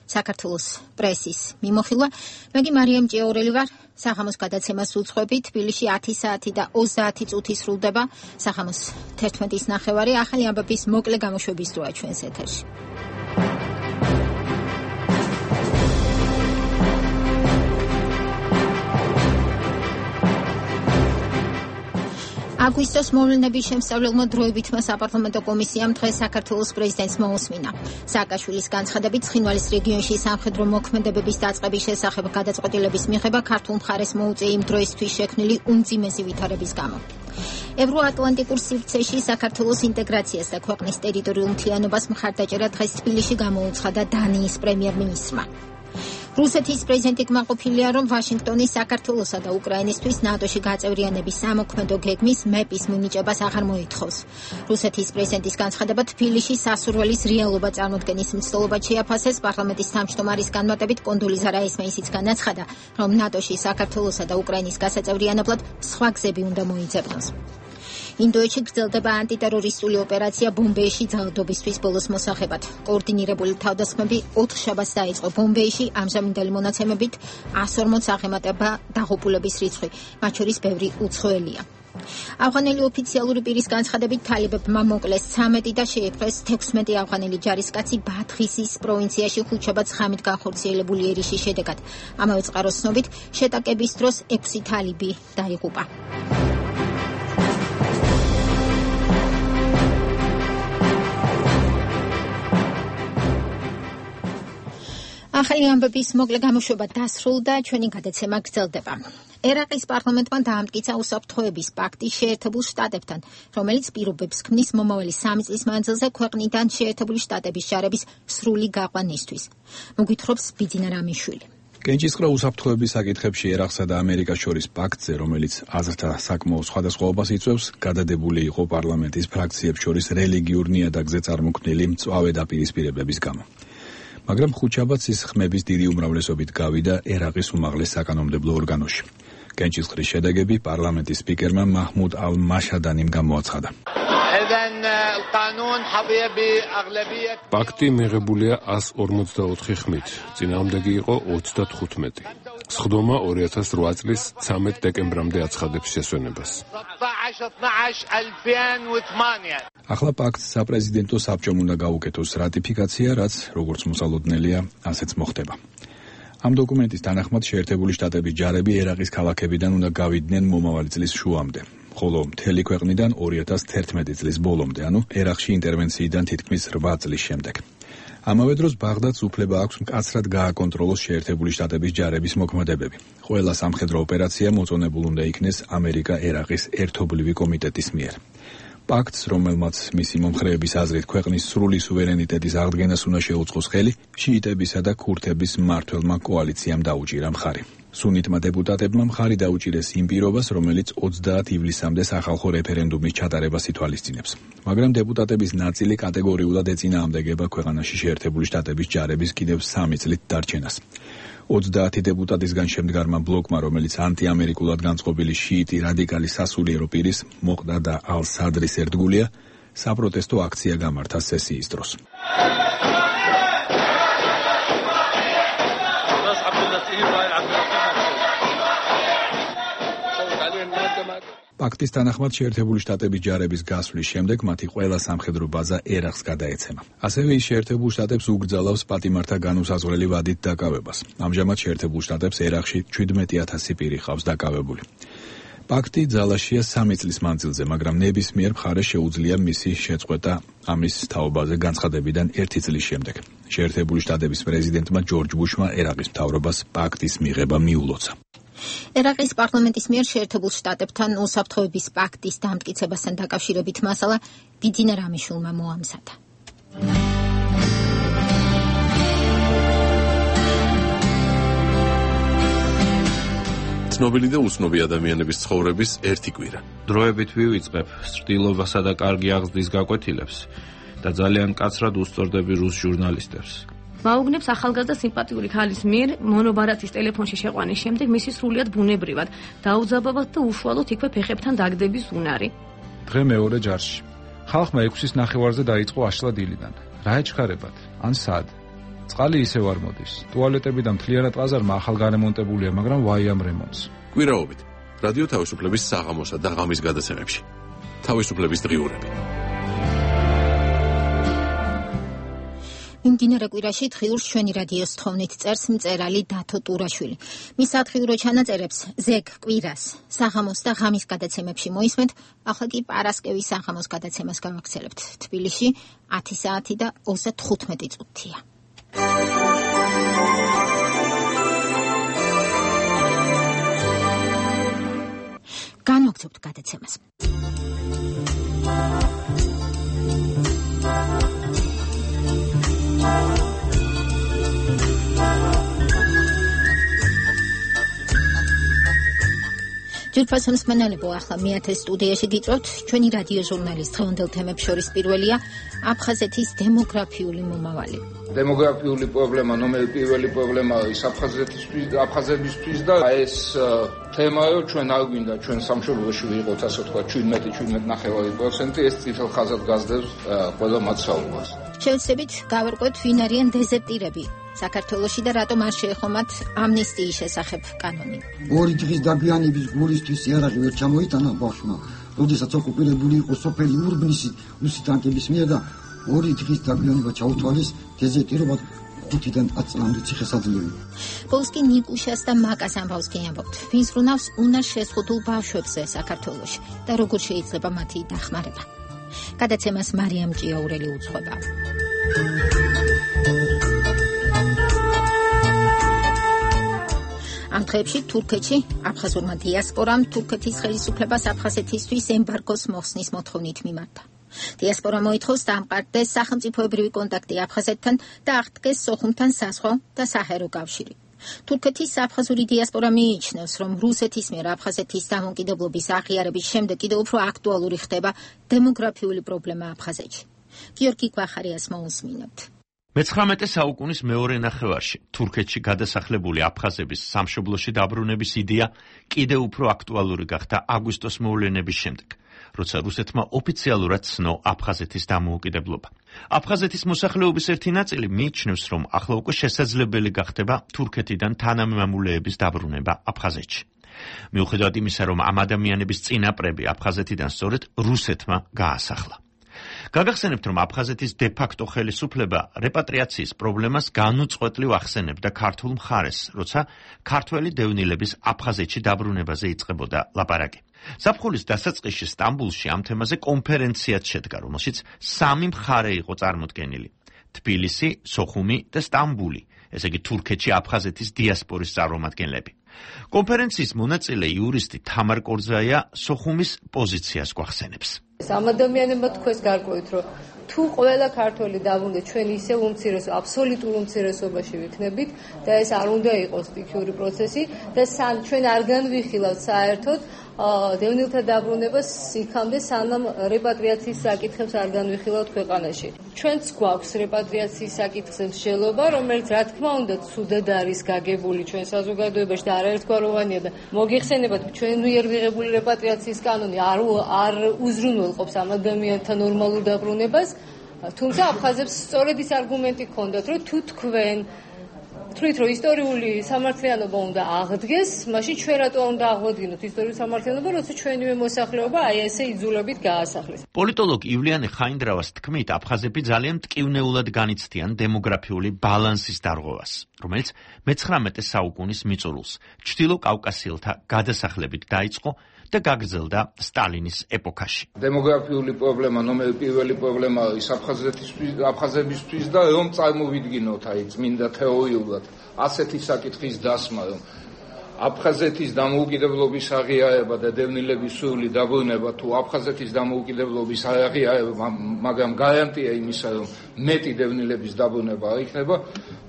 საქართველოს პრესის მიმოხილვა. მე კი მარიამ ჭიაურელი ვარ. სახამოს გადაცემას უძღვები. თბილისში ათი საათი და ოცდაათი წუთი სრულდება. სახამოს თერთმეტის ნახევარი. ახალი ამბების მოკლე გამოშვების დროა ჩვენს ეთერში. აგვისტოს მოვლენების შემსწავლელმა დროებითმა საპარლამენტო კომისიამ დღეს საქართველოს პრეზიდენტს მოუსმინა. სააკაშვილის განცხადებით ცხინვალის რეგიონში სამხედრო მოქმედებების დაწყების შესახებ გადაწყვეტილების მიღება ქართულ მხარეს მოუწია იმ დროისთვის შექმნილი უმძიმესი ვითარების გამო. ევროატლანტიკურ სივრცეში საქართველოს ინტეგრაციას და ქვეყნის ტერიტორიულ მთლიანობას მხარდაჭერა დღეს თბილისში გამოუცხადა დანიის პრემიერ-მინისტრმა. რუსეთის პრეზიდენტი კმაყოფილია, რომ ვაშინგტონი საქართველოსა და უკრაინისთვის ნატოში გაწევრიანების სამოქმედო გეგმის მეპის მინიჭებას აღარ მოითხოვს. რუსეთის პრეზიდენტის განცხადება თბილისში სასურველის რეალობა წარმოქმნის მცდელობად შეაფასეს. პარლამენტის თავმჯდომარის განმარტებით კონდოლიზა რაისმა ისიც განაცხადა, რომ ნატოში საქართველოსა და უკრაინის გასაწევრიანებლად სხვა გზები უნდა მოიძებნოს. ინდოეთში გრძელდება ანტიტერორისტული ოპერაცია ბომბეიში ძალადობისთვის ბოლოს მოსახებად. კოორდინირებული თავდასხმები ოთხ შაბათს დაიწყო ბომბეიში, ამჟამინდელი მონაცემებით εκατს ორმოც აღემატება დაღუპულების რიცხვი, მათ შორის ბევრი უცხოელია. ავღანელი ოფიციალური პირის განცხადებით თალებებმა მოკლეს ცამეტი და შეიპყრეს თექვსმეტი ავღანელი ჯარისკაცი ბადღისის პროვინციაში ხუთშაბათს ღამით განხორციელებული ერიშის შედეგად. ამავე წყაროს ცნობით შეტაკების დროს ექვსი თალიბი დაიღუპა. ახალი ამბების მოკლე გამოშვება დასრულდა, ჩვენი გადაცემა გრძელდება. ერაყის პარლამენტმა დაამტკიცა უსაფრთხოების პაქტი შეერთებულ შტატებთან, რომელიც პირობებს ქმნის მომავალი სამი წლის მანძილზე ქვეყნიდან შეერთებული შტატების ჯარების სრული გაყვანისთვის. მოგვითხრობს ბიძინა რამიშვილი. კენჭისყრა უსაფრთხოების საკითხებში ერაყსა და ამერიკას შორის პაქტზე, რომელიც აზრთა საკმაო სხვადასხვაობას იწვევს, გადადებული იყო პარლამენტის ფრაქციებს შორის რელიგიურ ნიადაგზე წარმოქმნილი მწვავე დაპირისპირებების გამო. მაგრამ ხუთშაბათს ის ხმების დიდი უმრავლესობით გავიდა ერაყის უმაღლეს საკანონმდებლო ორგანოში. კენჭისყრის შედეგები პარლამენტის სპიკერმა მაჰმუდ ალ-მაშადანიმ გამოაცხადა. პაქტი მიღებულია εκατს ორმოცდაოთხი ხმით, წინააღმდეგი იყო ოცდათხუთმეტი. სხდომა ორი ათას რვა წლის ცამეტ დეკემბრამდე აცხადებს შესვენებას. ახლა პაქტს საპრეზიდენტო საბჭომ უნდა გაუკეთოს რატიფიკაცია, რაც როგორც მოსალოდნელია, ასეც მოხდება. ამ დოკუმენტის თანახმად შეერთებული შტატების ჯარები ერაყის ქალაქებიდან უნდა გავიდნენ მომავალი წლის შუამდე, ხოლო მთელი ქვეყნიდან ორი ათას თერთმეტი წლის ბოლომდე, ანუ ერაყში ინტერვენციიდან თითქმის რვა წლის შემდეგ. ამავე დროს ბაღდადს უფლება აქვს მკაცრად გააკონტროლოს შეერთებული შტატების ჯარების მოქმედებები. ყველა სამხედრო ოპერაცია მოწონებულ უნდა იქნეს ამერიკა-ერაყის ერთობლივი კომიტეტის მიერ. პაქტს, რომელმაც მისი მომხრეების აზრით ქვეყნის სრული სუვერენიტეტის აღდგენას უნდა შეუწყოს ხელი, შიიტებისა და ქურთების მმართველმა კოალიციამ დაუჭირა მხარი. სუნიტმა დეპუტატებმა მხარი დაუჭირეს იმ პირობას, რომელიც ოცდაათი ივლისამდე სახალხო რეფერენდუმის ჩატარებას ითვალისწინებს. მაგრამ დეპუტატების ნაწილი კატეგორიულად ეწინააღმდეგება ქვეყანაში შეერთებული შტატების ჯარების კიდევ სამი წლით დარჩენას. ოცდაათი დეპუტატისგან შემდგარმა ბლოკმა, რომელიც ანტიამერიკულად განწყობილი შიიტი რადიკალი სასულიერო პირის მოყდა და ალ-სადრის ერთგულია, საპროტესტო აქცია გამართა სესიის დროს. პაქტის თანახმად შეერთებული შტატების ჯარების გასვლის შემდეგ მათი ყველა სამხედრო ბაზა ერაყს გადაეცემა. ასევე ის შეერთებულ შტატებს უგრძალავს პატიმართა განუსაზღვრელი ვადით დაკავებას. ამჟამად შეერთებულ შტატებს ერაყში ჩვიდმეტი ათასი პირი ყავს დაკავებული. პაქტი ძალაშია სამი წლის მანძილზე, მაგრამ ნებისმიერ მხარეს შეუძლია მისი შეწყვეტა ამის თაობაზე განცხადებიდან ერთი წლის შემდეგ. შეერთებული შტატების პრეზიდენტმა ჯორჯ ბუშმა ერაყის მთავრობას პაქტის მიღება მიულოცა. ერაყის პარლამენტის მიერ შეერთებულ შტატებთან უსაფრთხოების პაქტის დამტკიცებასთან დაკავშირებით მასალა ბიძინა რამიშვილმა მოამზადა. ცნობილი და უცნობი ადამიანების ცხოვრების ერთი კვირა. დროებით ვივიწყებ სრտილობასა და კარგი აღზრდის გაკვეთილებს და ძალიან კაცრად უსწორდები რუს ჟურნალისტებს. მაუგნებს ახალგაზრდა სიმპათიური ქალის მიერ მონობარათის ტელეფონში შეყვანის შემდეგ მისი სრულიად ბუნებრივად დაუძაბავად და უშუალოდ იქვე ფეხებთან დაგდების უნარი. დღე მეორე ჯარში. ხალხმა ექვსის ნახევარზე დაიწყო აშლა დილიდან. რა ეჩქარებათ? ან სად? წყალი ისევ არ მოდის. ტუალეტები და მთლიანად ყაზარმა ახალ გარემონტებულია, მაგრამ ვაი ამ რემონტს. კვირაობით რადიო თავისუფლების საღამოსა და ღამის გადაცემებში. თავისუფლების დღიურები. იმდინარე კვირაში დღიურს ჩვენი რადიოს თხოვნით წერს მწერალი დათო ტურაშვილი. მის სათხილრო ჩანაწერებს ზეგ კვირას, საღამოს და ღამის გადაცემებში მოისმენთ, ახლა კი პარასკევის საღამოს გადაცემას გავაგრძელებთ. თბილისში ათი საათი და ოცდათხუთმეტი წუთია. განვაგრძობთ გადაცემას. ჯერფასო მსმენელებო, ახლა მეათე სტუდიაში გიწევთ ჩვენი რადიო ჟურნალის დღევანდელ თემებს შორის პირველია აფხაზეთის დემოგრაფიული მომავალი. დემოგრაფიული პრობლემა, ნომერი პირველი პრობლემა ის აფხაზეთისთვის და აფხაზებისთვის და ეს თემაა, ჩვენ არ გვინდა ჩვენ სამშობლოში ვიყოთ, ასე ვთქვათ, შვიდმეტი შვიდმეტი პროცენტი, ეს წითელ ხაზად გასდევს ყველა მაცხოვრებას. შევეცდებით გავერკვეთ, ვინ არიან დეზერტირები საქართველოში და რატომ არ შეეხომათ ამნისტიის შესახებ კანონი. ორი დღის დაგვიანების გულისთვის იარაღი ვერ ჩამოიტანა ბავშვმა, როდესაც ოკუპირებული იყო სოფელი ურბნისი რუსი ტანკების მიერ და ორი დღის დაგვიანება ჩაუთვალეს დეზერტირობად ხუთიდან ათი წლამდე ციხესაძლევი. პოლსკი ნიკუშას და მაკას ამბავს გიამბობთ, ვინ ზრუნავს უნარ შეზღუდულ ბავშვებზე საქართველოში და როგორ შეიძლება მათი დახმარება. გადაცემას მარიამ ჭიაურელი უძღვება. ამ დღეებში თურქეთში აფხაზურმა დიასპორამ თურქეთის ხელისუფლებას აფხაზეთისთვის ემბარგოს მოხსნის მოთხოვნით მიმართა. დიასპორა მოითხოვს დამყარდეს სახელმწიფოებრივი კონტაქტი აფხაზეთთან და აღდგეს სოხუმთან საზღვაო და საჰერო კავშირი. თურქეთის აფხაზური დიასპორა მიიჩნევს, რომ რუსეთის მიერ აფხაზეთის დამოუკიდებლობის აღიარების შემდეგ კიდევ უფრო აქტუალური ხდება დემოგრაფიული პრობლემა აფხაზეთში. გიორგი გვახარიას მოусმინებთ. მეცხრამეტე საუკუნის მეორე ნახევარში თურქეთში გადასახლებული აფხაზების სამშობლოში დაბრუნების იდეა კიდევ უფრო აქტუალური გახდა აგვისტოს მოვლენების შემდეგ, როცა რუსეთმა ოფიციალურად ცნო აფხაზეთის დამოუკიდებლობა. აფხაზეთის მოსახლეობის ერთი ნაწილი მიიჩნევს, რომ ახლა უკვე შესაძლებელი გახდება თურქეთიდან თანამემამულეების დაბრუნება აფხაზეთში. მიუხედავად იმისა, რომ ამ ადამიანების წინაპრები აფხაზეთიდან სწორედ რუსეთმა გაასახლა. გაგახსენებთ, რომ აფხაზეთის დე-ფაქტო ხელისუფლება რეპატრიაციის პრობლემას განუწყვეტლივ ახსენებდა ქართულ მხარეს, როცა ქართველი დევნილების აფხაზეთში დაბრუნებაზე იწყებოდა ლაპარაკი. ზაფხულის დასაწყისში სტამბულში ამ თემაზე კონფერენციაც შედგა, რომელშიც სამი მხარე იყო წარმოდგენილი: თბილისი, სოხუმი და სტამბული, ესე იგი თურქეთში აფხაზეთის დიასპორის წარმომადგენლები. კონფერენციის მონაწილე იურისტი თამარ კორძაია სოხუმის პოზიციას გვახსენებს. ამ ადამიანებმა თქვეს გარკვევით, რომ თუ ყველა ქართველი დაბრუნდეს, ჩვენ ისევ უმცირესო, აბსოლუტურ უმცირესობაში ვიქნებით და ეს არ უნდა იყოს სტიქიური პროცესი და სან ჩვენ არ განვიხილავთ საერთოდ დევნილთა დაბრუნებას იქამდე, სანამ რეპატრიაციის საკითხებს არ განვიხილავთ ქვეყანაში. ჩვენც გვაქვს რეპატრიაციის საკითხზე მსჯელობა, რომელიც რა თქმა უნდა ცუდად არის გაგებული ჩვენ საზოგადოებაში და არაერთგვაროვანია და მოგიხსენებათ, ჩვენ მიერ მიღებული რეპატრიაციის კანონი არ არ უზრუნველყოფს ამ ადამიანთა ნორმალურ დაბრუნებას, თუმცა აფხაზებს სწორედ ის არგუმენტი ჰქონდათ, რომ თუ თქვენ თვლით, რომ ისტორიული სამართლიანობა უნდა აღდგეს, მაშინ ჩვენ რატო უნდა აღვადგინოთ ისტორიული სამართლიანობა, როცა ჩვენივე მოსახლეობა აი ესე იძულებით გაასახლეს. პოლიტოლოგ ივლიანე ხაინდრავას თქმით, აფხაზები ძალიან მტკივნეულად განიცდიან დემოგრაფიული ბალანსის დარღვევას, რომელიც მეცხრამეტე საუკუნის მიწურულს ჩრდილო კავკასიელთა გადასახლებით დაიწყო და გაგრძელდა სტალინის ეპოქაში. დემოგრაფიული პრობლემა, ნომერი პირველი პრობლემა ის აფხაზეთისთვის, აფხაზებისთვის და რომ წარმოვიდგინოთ აი წმინდა თეორიულად ასეთი საკითხის დასმა, რომ აფხაზეთის დამოუკიდებლობის აღიარება და დევნილების სრული დაბრუნება თუ აფხაზეთის დამოუკიდებლობის აღიარება, მაგრამ გარანტია იმისა, რომ მეტი დევნილების დაბრუნება არ იქნება,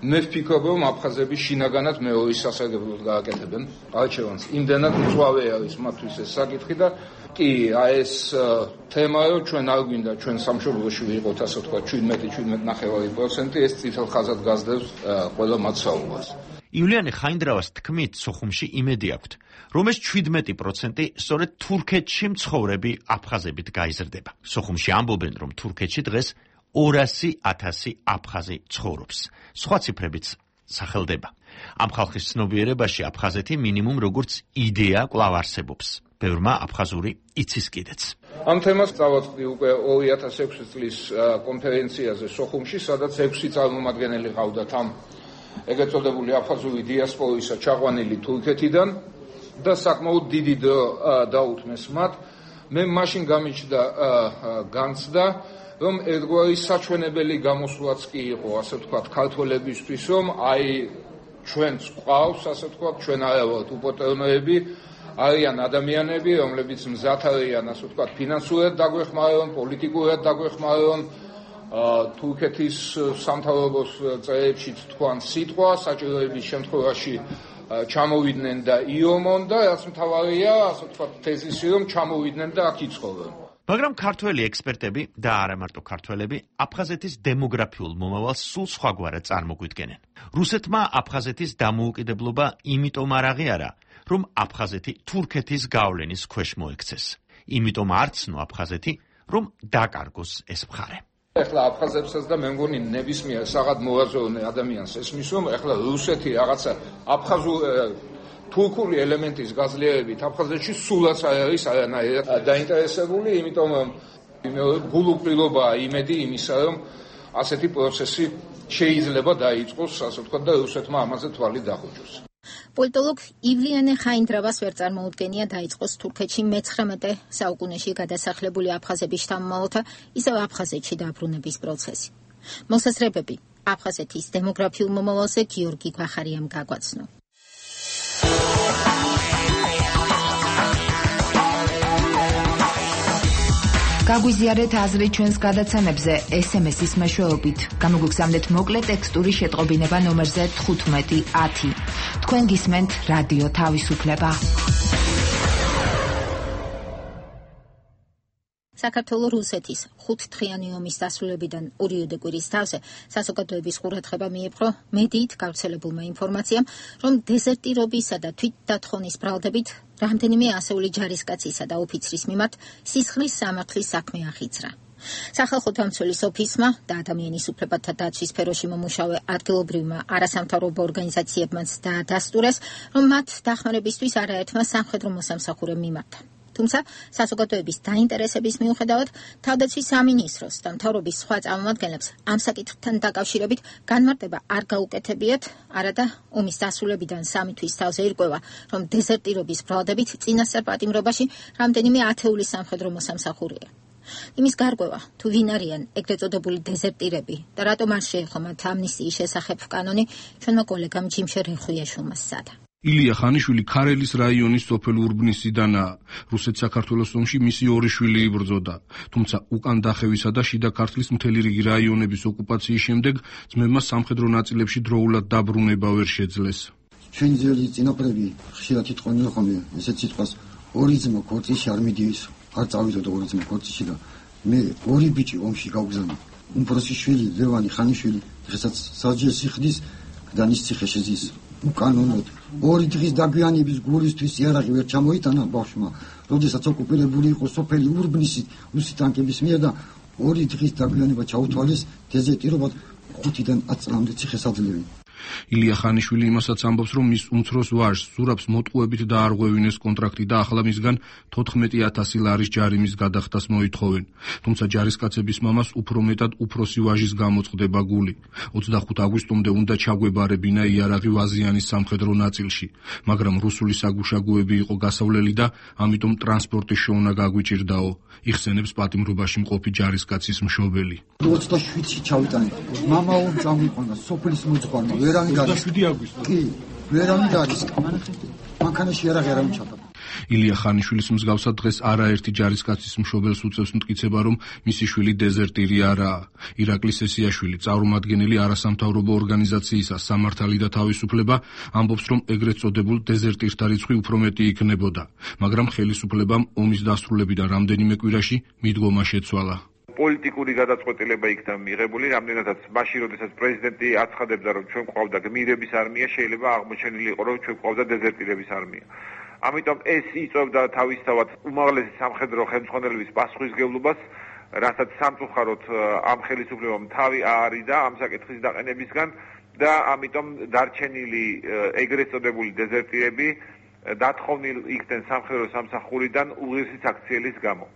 მე ვფიქრობ, რომ აფხაზები შინაგანად მეორის სასარგებლოდ გააკეთებენ არჩევანს. იმდენად მწვავე არის მათთვის ეს საკითხი და კი აი ეს თემაა, რომ ჩვენ არ გვინდა ჩვენ სამშობლოში ვიყოთ, ასე ვთქვათ, შვიდმეტი შვიდმეტი პროცენტი, ეს წითელ ხაზად გასდევს ყველა მაცხოვრებას. ივლიანე ხაინდრავას თქმით, სოხუმში იმედი აქვთ, რომ ეს შვიდმეტი პროცენტი სწორედ თურქეთში მცხოვრები აფხაზებით გაიზრდება. სოხუმში ამბობენ, რომ თურქეთში დღეს ორასი ათასი აფხაზი ცხოვრობს. სხვა ციფრებიც სახელდება. ამ ხალხის ცნობიერებაში აფხაზეთი მინიმუმ როგორც იდეა კვლავ არსებობს. ბევრმა აფხაზური იცის კიდეც. ამ თემას წავაწყდი უკვე ორი ათას ექვსი წლის კონფერენციაზე სოხუმში, სადაც ექვსი წარმომადგენელი ყავდათ ამ ეგრეთ წოდებული აფხაზური დიასპორისა ჩაყვანილი თურქეთიდან და საკმაოდ დიდი დრო დაუთმეს მათ. მე მაშინ გამიჩნდა განცდა, რომ ერთგვარი საჩვენებელი გამოსვლაც კი იყო, ასე ვთქვათ, ქართველებისთვის, რომ აი ჩვენც ყავს, ასე ვთქვათ, ჩვენ არა ვართ უპოტრონოები, არიან ადამიანები, რომლებიც მზად არიან, ასე ვთქვათ, ფინანსურად დაგვეხმარონ, პოლიტიკურად დაგვეხმარონ, თურქეთის სამთავრობოს წრეებშიც თქვან სიტყვა, საჭიროების შემთხვევაში ჩამოვიდნენ და იომონ და რაც მთავარია, ასე ვთქვათ, თეზისი, რომ ჩამოვიდნენ და აქ იცხოვრონ. მაგრამ ქართველი ექსპერტები და არა მარტო ქართველები აფხაზეთის დემოგრაფიულ მომავალს სულ სხვაგვარად წარმოგვიდგენენ. რუსეთმა აფხაზეთის დამოუკიდებლობა იმიტომ არ აღიარა, რომ აფხაზეთი თურქეთის გავლენის ქვეშ მოექცეს. იმიტომ არ ცნო აფხაზეთი, რომ დაკარგოს ეს მხარე. ეხლა აფხაზებსაც და მე მგონი ნებისმიერ საღად მოაზროვნე ადამიანს ესმის, რომ ეხლა რუსეთი რაღაცა აფხაზურ თურქული ელემენტის გაძლიერებით აფხაზეთში სულაც არ არის არანაირად დაინტერესებული, იმიტომ რომ გულუყრილობაა იმედი იმისა, რომ ასეთი პროცესი შეიძლება დაიწყოს, ასე ვთქვათ, და რუსეთმა ამაზე თვალი დახუჭოს. პოლიტოლოგ ივლიანე ხაინდრავას ვერ წარმოუდგენია დაიწყოს თურქეთში მეცხრამეტე საუკუნეში გადასახლებული აფხაზების შთამომავალთა ისევ აფხაზეთში დაბრუნების პროცესი. მოსაზრებები აფხაზეთის დემოგრაფიულ მომავალზე გიორგი გვახარიამ გაგვაცნო. გაგვიზიარეთ აზრი ჩვენს გადაცემებზე ეს ემ ეს-ის მეშვეობით. გამოგვიგზავნეთ მოკლე ტექსტური შეტყობინება ნომერზე თხუთმეტი ათი. თქვენ გისმენთ რადიო თავისუფლება. საქართველოს რუსეთის ხუთთხრიანი ომის დასრულებიდან ორიოდე კვირის თავზე საზოგადოების ყურადღება მიიპყრო მედიით გავრცელებულმა ინფორმაციამ, რომ დეზერტირობისა და თვითდათხონის ბრალდებით რამდენიმე ასეული ჯარისკაცისა და ოფიცრის მიმართ სისხლის სამართლის საქმე ახიძრა. სახალხო დამცველის ოფისმა და ადამიანის უფლებათა დაცვის სფეროში მომუშავე ადგილობრივმა არასამთავრობო ორგანიზაციებმაც დაადასტურეს, რომ მათ დახმარებისთვის არაერთმა სამხედრო მოსამსახურემ მიმართა. თუმცა საზოგადოების დაინტერესების მიუხედავად თავდაცვის სამინისტროს და მთავრობის სხვა წარმომადგენლებს ამ საკითხთან დაკავშირებით განმარტება არ გაუკეთებიათ, არადა ომის დასრულებიდან სამი თვის თავზე ირკვევა, რომ დეზერტირობის ბრალდებით წინასწარ პატიმრობაში რამდენიმე ათეული სამხედრო მოსამსახურეა. იმის გარკვევა, თუ ვინ არიან ეგრეთ წოდებული დეზერტირები და რატომ არ შეეხო მათ ამნისტიის შესახებ კანონი, ჩვენმა კოლეგამ ჯიმშე რეხვიაშვილმა სცადა. ილია ხანიშვილი ქარელის რაიონის სოფელ ურბნისიდანაა. რუსეთ-საქართველოს ომში მისი ორი შვილი იბრძოდა, თუმცა უკან დახევისა და შიდა ქართლის მთელი რიგი რაიონების ოკუპაციის შემდეგ ძმებმა სამხედრო ნაწილებში დროულად დაბრუნება ვერ შეძლეს. ჩვენი ძველი წინაპრები ხშირად იტყვიან ხოლმე ესეთ სიტყვას, ორი ძმა ქორწილში არ მიდიეს, არ წავიდოდა ორი ძმა ქორწილში და მე ორი ბიჭი ომში გავგზავნა. უმცროსი შვილი ლევანი ხანიშვილი დღესაც საჯეს სიხდის გდანის ციხეში ზის. უკანონოდ ორი დღის დაგვიანების გულისთვის იარაღი ვერ ჩამოიტანა ბავშვმა, როდესაც ოკუპირებული იყო სოფელი ურბნისი რუსი ტანკების მიერ და ორი დღის დაგვიანება ჩაუთვალეს დეზერტირობად ხუთიდან ათი წლამდე ციხესაძლევი. ილია ხანიშვილი იმასაც ამბობს, რომ მის უმცროს ვაჟს ზურაბს მოტყუებით დაარღვევინეს კონტრაქტი და ახლა მისგან თოთხმეტი ათასი ლარის ჯარიმის გადახდას მოითხოვენ. თუმცა ჯარისკაცების მამას უფრო მეტად უფროსი ვაჟის გამოწყდება გული. ოცდახუთი აგვისტომდე უნდა ჩაგვებარებინა იარაღი ვაზიანის სამხედრო ნაწილში, მაგრამ რუსული საგუშაგოები იყო გასავლელი და ამიტომ ტრანსპორტის შოვნა გაგვიჭირდაო, იხსენებს პატიმრობაში მყოფი ჯარისკაცის მშობელი. ოცდაშვიდში ჩავიტანე. მამაო წამიყვანა სოფლის მოძღვარმა. ოცდაშვიდი აგვისტო. კი, ვერავინ დარის. მანქანაში იარაღი არ ამჩადა. ილია ხანიშვილის მსგავსად დღეს არაერთი ჯარისკაცის მშობელს უწევს მტკიცება, რომ მისი შვილი დეზერტირი არაა. ირაკლის ესიაშვილი, წარმომადგენელი არასამთავრობო ორგანიზაციისა სამართალი და თავისუფლება, ამბობს, რომ ეგრეთ წოდებულ დეზერტირთა რიცხვი უფრო მეტი იქნებოდა, მაგრამ ხელისუფლებამ ომის დასრულებიდან რამდენიმე კვირაში მიდგომა შეცვალა. პოლიტიკური გადაწყვეტილება იქნა მიღებული, რამდენადაც მაშინ, როდესაც პრეზიდენტი აცხადებდა, რომ ჩვენ გვყავდა გმირების არმია, შეიძლება აღმოჩენილი იყო, რომ ჩვენ გვყავდა დეზერტირების არმია. ამიტომ ეს იწვევდა თავისთავად უმაღლესი სამხედრო ხელმძღვანელების პასუხისმგებლობას, რასაც სამწუხაროდ ამ ხელისუფლებამ თავი აარიდა ამ საკითხის დაყენებისგან და ამიტომ დარჩენილი ეგრეთ წოდებული დეზერტირები დათხოვნილ იქნენ სამხედრო სამსახურიდან უღირსის აქციელის გამო.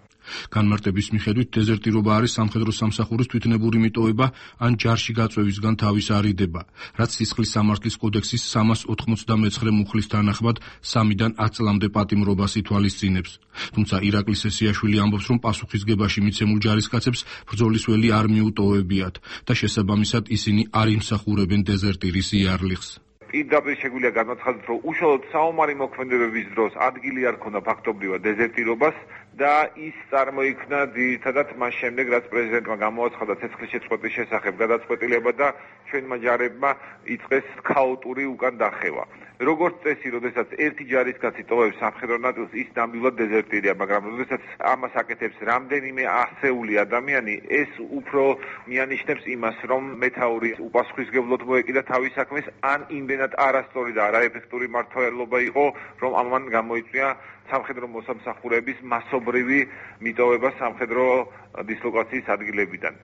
განმარტების მიხედვით დეზერტირობა არის სამხედრო სამსახურის თვითნებური მიტოვება ან ჯარში გაწვევისგან თავის არიდება, რაც სისხლის სამართლის კოდექსის სამას ოთხმოცდამეცხრე მუხლის თანახმად სამიდან ათ წლამდე პატიმრობას ითვალისწინებს. თუმცა ირაკლი სესიაშვილი ამბობს, რომ პასუხისგებაში მიცემულ ჯარისკაცებს ბრძოლის ველი არ მიუტოვებიათ და შესაბამისად ისინი არ იმსახურებენ დეზერტირის იარლიხს. პირდაპირ შეგვიძლია განაცხადოთ, რომ უშუალოდ საომარი მოქმედებების დროს ადგილი არ ქონდა ფაქტობრივად დეზერტირობას და ის წარმოიქმნა ძირითადად მას შემდეგ, რაც პრეზიდენტმა გამოაცხადა ცეცხლის შეწყვეტის შესახებ გადაწყვეტილება და ჩვენმა ჯარებმა იწყეს ქაოტური უკან დახევა. როგორც წესი, როდესაც ერთი ჯარისკაცი ტოვებს სამხედრო ნაწილს, ის ნამდვილად დეზერტირია, მაგრამ როდესაც ამას აკეთებს რამდენიმე ასეული ადამიანი, ეს უფრო მიანიშნებს იმას, რომ მეთაური უპასუხისმგებლოდ მოეკიდა თავის საქმეს, ან იმდენად არასწორი და არაეფექტური მმართველობა იყო, რომ ამან გამოიწვია სამხედრო მოსამსახურების მასობრივი მიტოვება სამხედრო დისლოკაციის ადგილებიდან.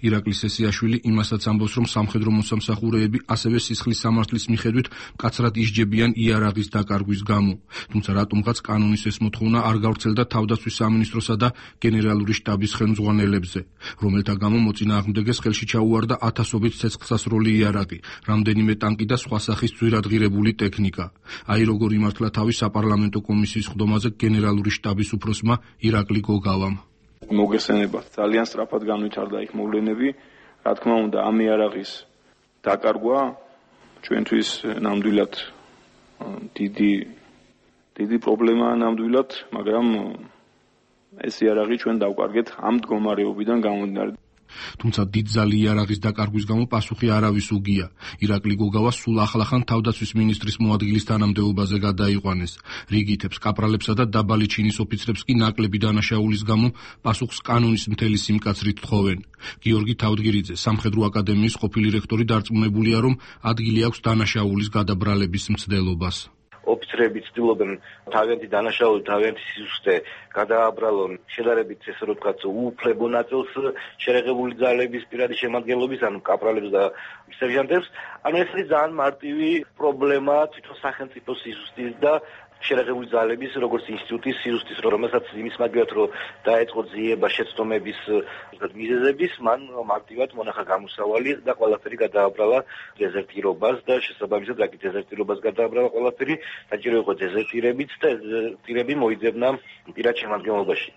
ირაკლი სესიაშვილი იმასაც ამბობს, რომ სამხედრო მოსამსახურეები ასევე სისხლის სამართლის მიხედვით მკაცრად ისჯებიან იარაღის დაკარგვის გამო. თუმცა რატომღაც კანონის ეს მოთხოვნა არ გავრცელდა თავდაცვის სამინისტროსა და გენერალური შტაბის ხელმძღვანელებზე, რომელთა გამო მოწინააღმდეგეს ხელში ჩაუვარდა ათასობით ცეცხლსასროლი იარაღი, რამდენიმე ტანკი და სხვა სახის ძვირადღირებული ტექნიკა. აი როგორ იმართლა თავის საპარლამენტო კომისიის ხდომაზე გენერალური შტაბის უფროსმა ირაკლი გოგავამ. მოგესწრებათ, ძალიან სწრაფად განვითარდა იქ მოვლენები. რა თქმა უნდა, ამ იარაღის დაკარგვა ჩვენთვის ნამდვილად დიდი დიდი პრობლემაა ნამდვილად, მაგრამ ეს იარაღი ჩვენ დავკარგეთ ამ მდგომარეობიდან გამომდინარე. თუმცა დიდძალი იარაღის დაკარგვის გამო პასუხი არავის უგია. ირაკლი გოგავა სულ ახლახან თავდაცვის მინისტრის მოადგილის თანამდებობაზე გადაიყვანეს. რიგითებს, კაპრალებსა და დაბალი ჩინის ოფიცრებს კი ნაკლები დანაშაულის გამო პასუხს კანონის მთელი სიმკაცრით თხოვენ. გიორგი თავდგირიძე, სამხედრო აკადემიის ყოფილი რექტორი, დარწმუნებულია, რომ ადგილი აქვს დანაშაულის გადაბრალების მცდელობას. ოფიცრები ცდილობენ თავიანთი დანაშაული, თავიანთი სიზუსტე გადააბრალონ შედარებით ესე რომ ვთქვათ უუფლებო ნაწილს შერეღებული ძალების პირადი შემადგენლობის, ანუ კაპრალებს და სერჟანტებს. ანუ ეს არის ძალიან მარტივი პრობლემა თვითონ სახელმწიფო სიზუსტის და შერეღებული ძალების როგორც ინსტიტუტის სიზუსტის, რომელსაც იმის მაგივრად რომ დაეწყო ძიება შეცდომების მიზეზების, მან მარტივად მონახა გამოსავალი და ყველაფერი გადააბრალა დეზერტირობას და შესაბამისად რაკი დეზერტირობას გადააბრალა ყველაფერი, საჭირო იყო დეზერტირებიც და დეზერტირები მოიძებნა პირად შემადგენლობაში.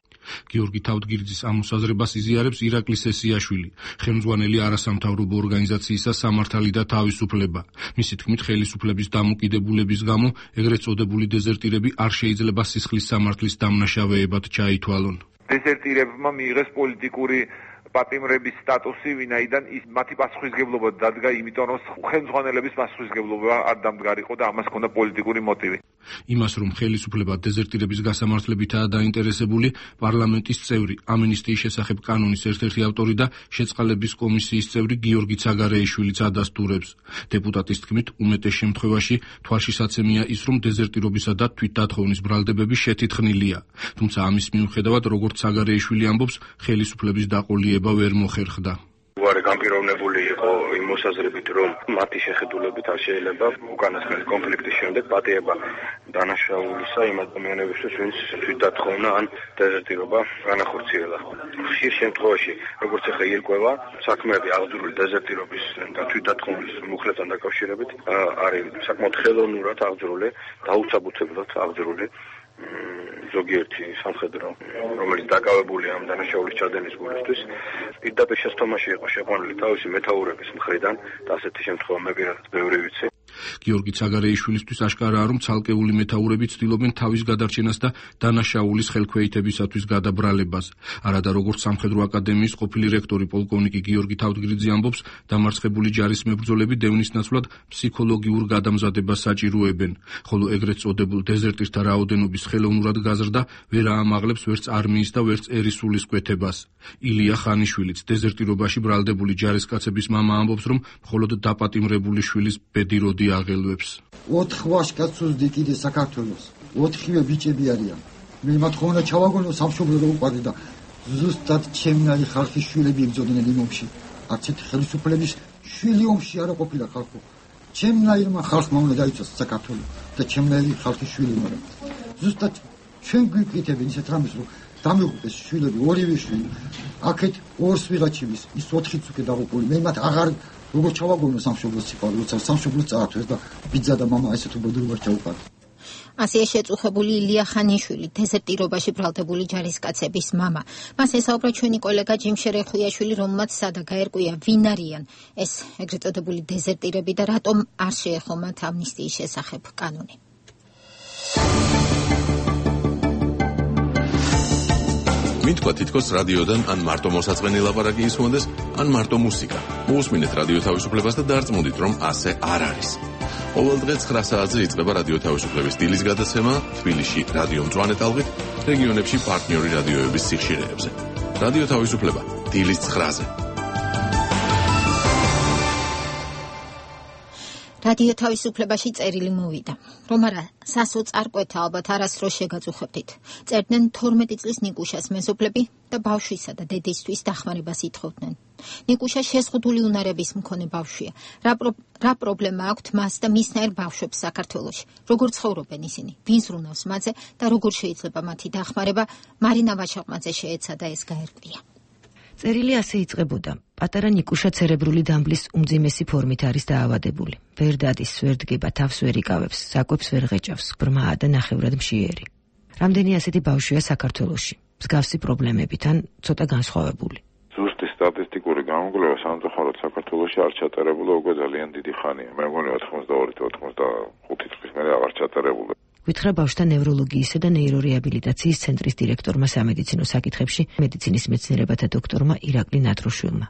გიორგი თავდგირიძის ამ მოსაზრებას იზიარებს ირაკლი სესიაშვილი, ხელმძღვანელი არასამთავრობო ორგანიზაციისა სამართალი და თავისუფლება. მისი თქმით, ხელისუფლების დამოკიდებულების გამო ეგრეთ წოდებული დეზერტირები არ შეიძლება სისხლის სამართლის დამნაშავეებად ჩაითვალონ. დეზერტირებმა მიიღეს პოლიტიკური პატიმრების სტატუსი, ვინაიდან ის მათი პასუხისმგებლობა დადგა, იმიტომ რომ ხელმძღვანელების პასუხისმგებლობა არ დამდგარიყო და ამას ჰქონდა პოლიტიკური მოტივი. იმას, რომ ხელისუფლება დეზერტირების გასამართლებითაა დაინტერესებული, პარლამენტის წევრი, ამნისტიის შესახებ კანონის ერთ-ერთი ავტორი და შეწყალების კომისიის წევრი გიორგი ცაგარეიშვილიც ადასტურებს. დეპუტატის თქმით, უმეტეს შემთხვევაში თვალშისაცემია ის, რომ დეზერტირობისა და თვითდათხოვნის ბრალდებები შეთითხნილია. თუმცა ამის მიუხედავად, როგორც ცაგარეიშვილი ამბობს, ხელისუფლების დაყოლიება ვერ მოხერხდა. უარი განპირობებული იყო იმ მოსაზრებით, რომ მათი შეხედულებით არ შეიძლება უკანასკნელი კონფლიქტის შემდეგ პატიება დანაშაულისა იმ ადამიანებისთვის, ვინც თვითდათხოვნა ან დეზერტირობა განახორციელა. ხშირ შემთხვევაში, როგორც ახლა ირკვევა, საქმეები აღძრული დეზერტირობის და თვითდათხოვნის მუხლებთან დაკავშირებით არის საკმაოდ ხელოვნურად აღძრული, დაუცაბუთებლად აღძრული ზოგიერთი სამხედრო, რომელიც დაკავებულია ამ დანაშაულის ჩადენის გულისთვის, პირდაპირ შეცდომაში იყო შეყვანილი თავისი მეთაურების მხრიდან და ასეთი შემთხვევა მე პირადად ბევრი ვიცი. გიორგი ცაგარეიშვილისთვის აშკარაა, რომ ცალკეული მეთაურები ცდილობენ თავის გადარჩენას და დანაშაულის ხელქვეითებისათვის გადაბრალებას. არადა როგორც სამხედრო აკადემიის ყოფილი რექტორი პოლკოვნიკი გიორგი თავდგირიძე ამბობს, დამარცხებული ჯარის მებრძოლები დევნის ნაცვლად ფსიქოლოგიურ გადამზადებას საჭიროებენ, ხოლო ეგრეთ წოდებულ დეზერტირთა რაოდენობის ხელოვნურად გაზრდა ვერ აამაღლებს ვერც არმიის და ვერც ერისულის კვეთებას. ილია ხანიშვილიც, დეზერტირობაში ბრალდებული ჯარისკაცების მამა ამბობს, რომ მხოლოდ დაპატიმრებული შვილის ბედი როდი აღელვებს. ოთხ ვაჟკაცს უძდი კიდე საქართველოს. ოთხივე ბიჭები არიან. მე მათ ხონა ჩავაგონო სამშობლო რო უყარდი და ზუსტად ჩემნარი ხალხის შვილები იბრძოდნენ იმ ომში. არც ერთი ხელისუფლების შვილი ომში არ ყოფილა ხალხო. ჩემნაირმა ხალხმა უნდა დაიცვას საქართველო და ჩემნაირი ხალხის შვილი უნდა. ზუსტად ჩვენ გვიკითხებენ ისეთ რამეს, რომ დამიღუპეს შვილები, ორივე შვილი. აქეთ ორს ვიღაჩივის, ის ოთხიც უკვე დაღუპული. მე მათ აღარ როგორ ჩავაგონო სამშობლოს სიყვარული, როცა სამშობლოს წაართვეს და ბიძა და მამა ესეთ უბედურებას ჩაუყარა. ასეა შეწუხებული ილია ხანიშვილი, დეზერტირობაში ბრალდებული ჯარისკაცების მამა. მას ესაუბრა ჩვენი კოლეგა ჯიმ შერეხვიაშვილი, რომელმაც სადა გაერკვია ვინ არიან ეს ეგრეთ წოდებული დეზერტირები და რატომ არ შეეხო მათ ამნისტიის შესახებ კანონი. მითქვა თითქოს რადიოდან ან მარტო მოსაწყენი ლაპარაკი ისმოდეს, ან მარტო მუსიკა. მოусმინეთ რადიო თავისუფლებას და დარწმუნდით, რომ ასე არ არის. ყოველ დღე ცხრა საათზე იწყება რადიო თავისუფლების დილის გადაცემა თბილისში რადიო მწვანე ტალღით, რეგიონებში პარტნიორი რადიოების სიხშირეებზე. რადიო თავისუფლება დილის ცხრაზე. რადიო თავისუფლებაში წერილი მოვიდა, რომ არა სასო წარკვეთა ალბათ არასდროს შეგაწუხებდით. წერდნენ თორმეტი წლის ნიკუშას მეზობლები და ბავშვისა და დედისთვის დახმარებას ითხოვდნენ. ნიკუშა შეზღუდული უნარების მქონე ბავშვია. რა, პრო... რა პრობლემა აქვთ მას და მისნაირ ბავშვებს საქართველოში? როგორ ცხოვრობენ ისინი? ვინ ზრუნავს მათზე და როგორ შეიძლება მათი დახმარება? მარინა ვაჩაყმაძე შეეცადა ეს გაერკვია. წერილი ასე იწყებოდა. პატარა ნიკუშა ცერებრული დამბლის უმძიმესი ფორმით არის დაავადებული. ვერ დადის, ვერ დგება, თავს ვერ იკავებს, საკვებს ვერ ღეჭავს, ბრმაა და ნახევრად მშიერი. რამდენი ასეთი ბავშვია საქართველოში? მსგავსი პრობლემებით ან ცოტა განსხვავებული. ზუსტი სტატისტიკური გამოკვლევა სამწუხაროდ საქართველოში არ ჩატარებულა უკვე ძალიან დიდი ხანია. მე მგონი ოთხმოცდაორი ოცდახუთი წლის მერე აღარ ჩატარებულა. გითხრა ბავშვთა ნევროლოგიისა და ნეირორეაბილიტაციის ცენტრის დირექტორმა სამედიცინო საკითხებში მედიცინის მეცნიერებათა დოქტორმა ირაკლი ნატროშვილმა.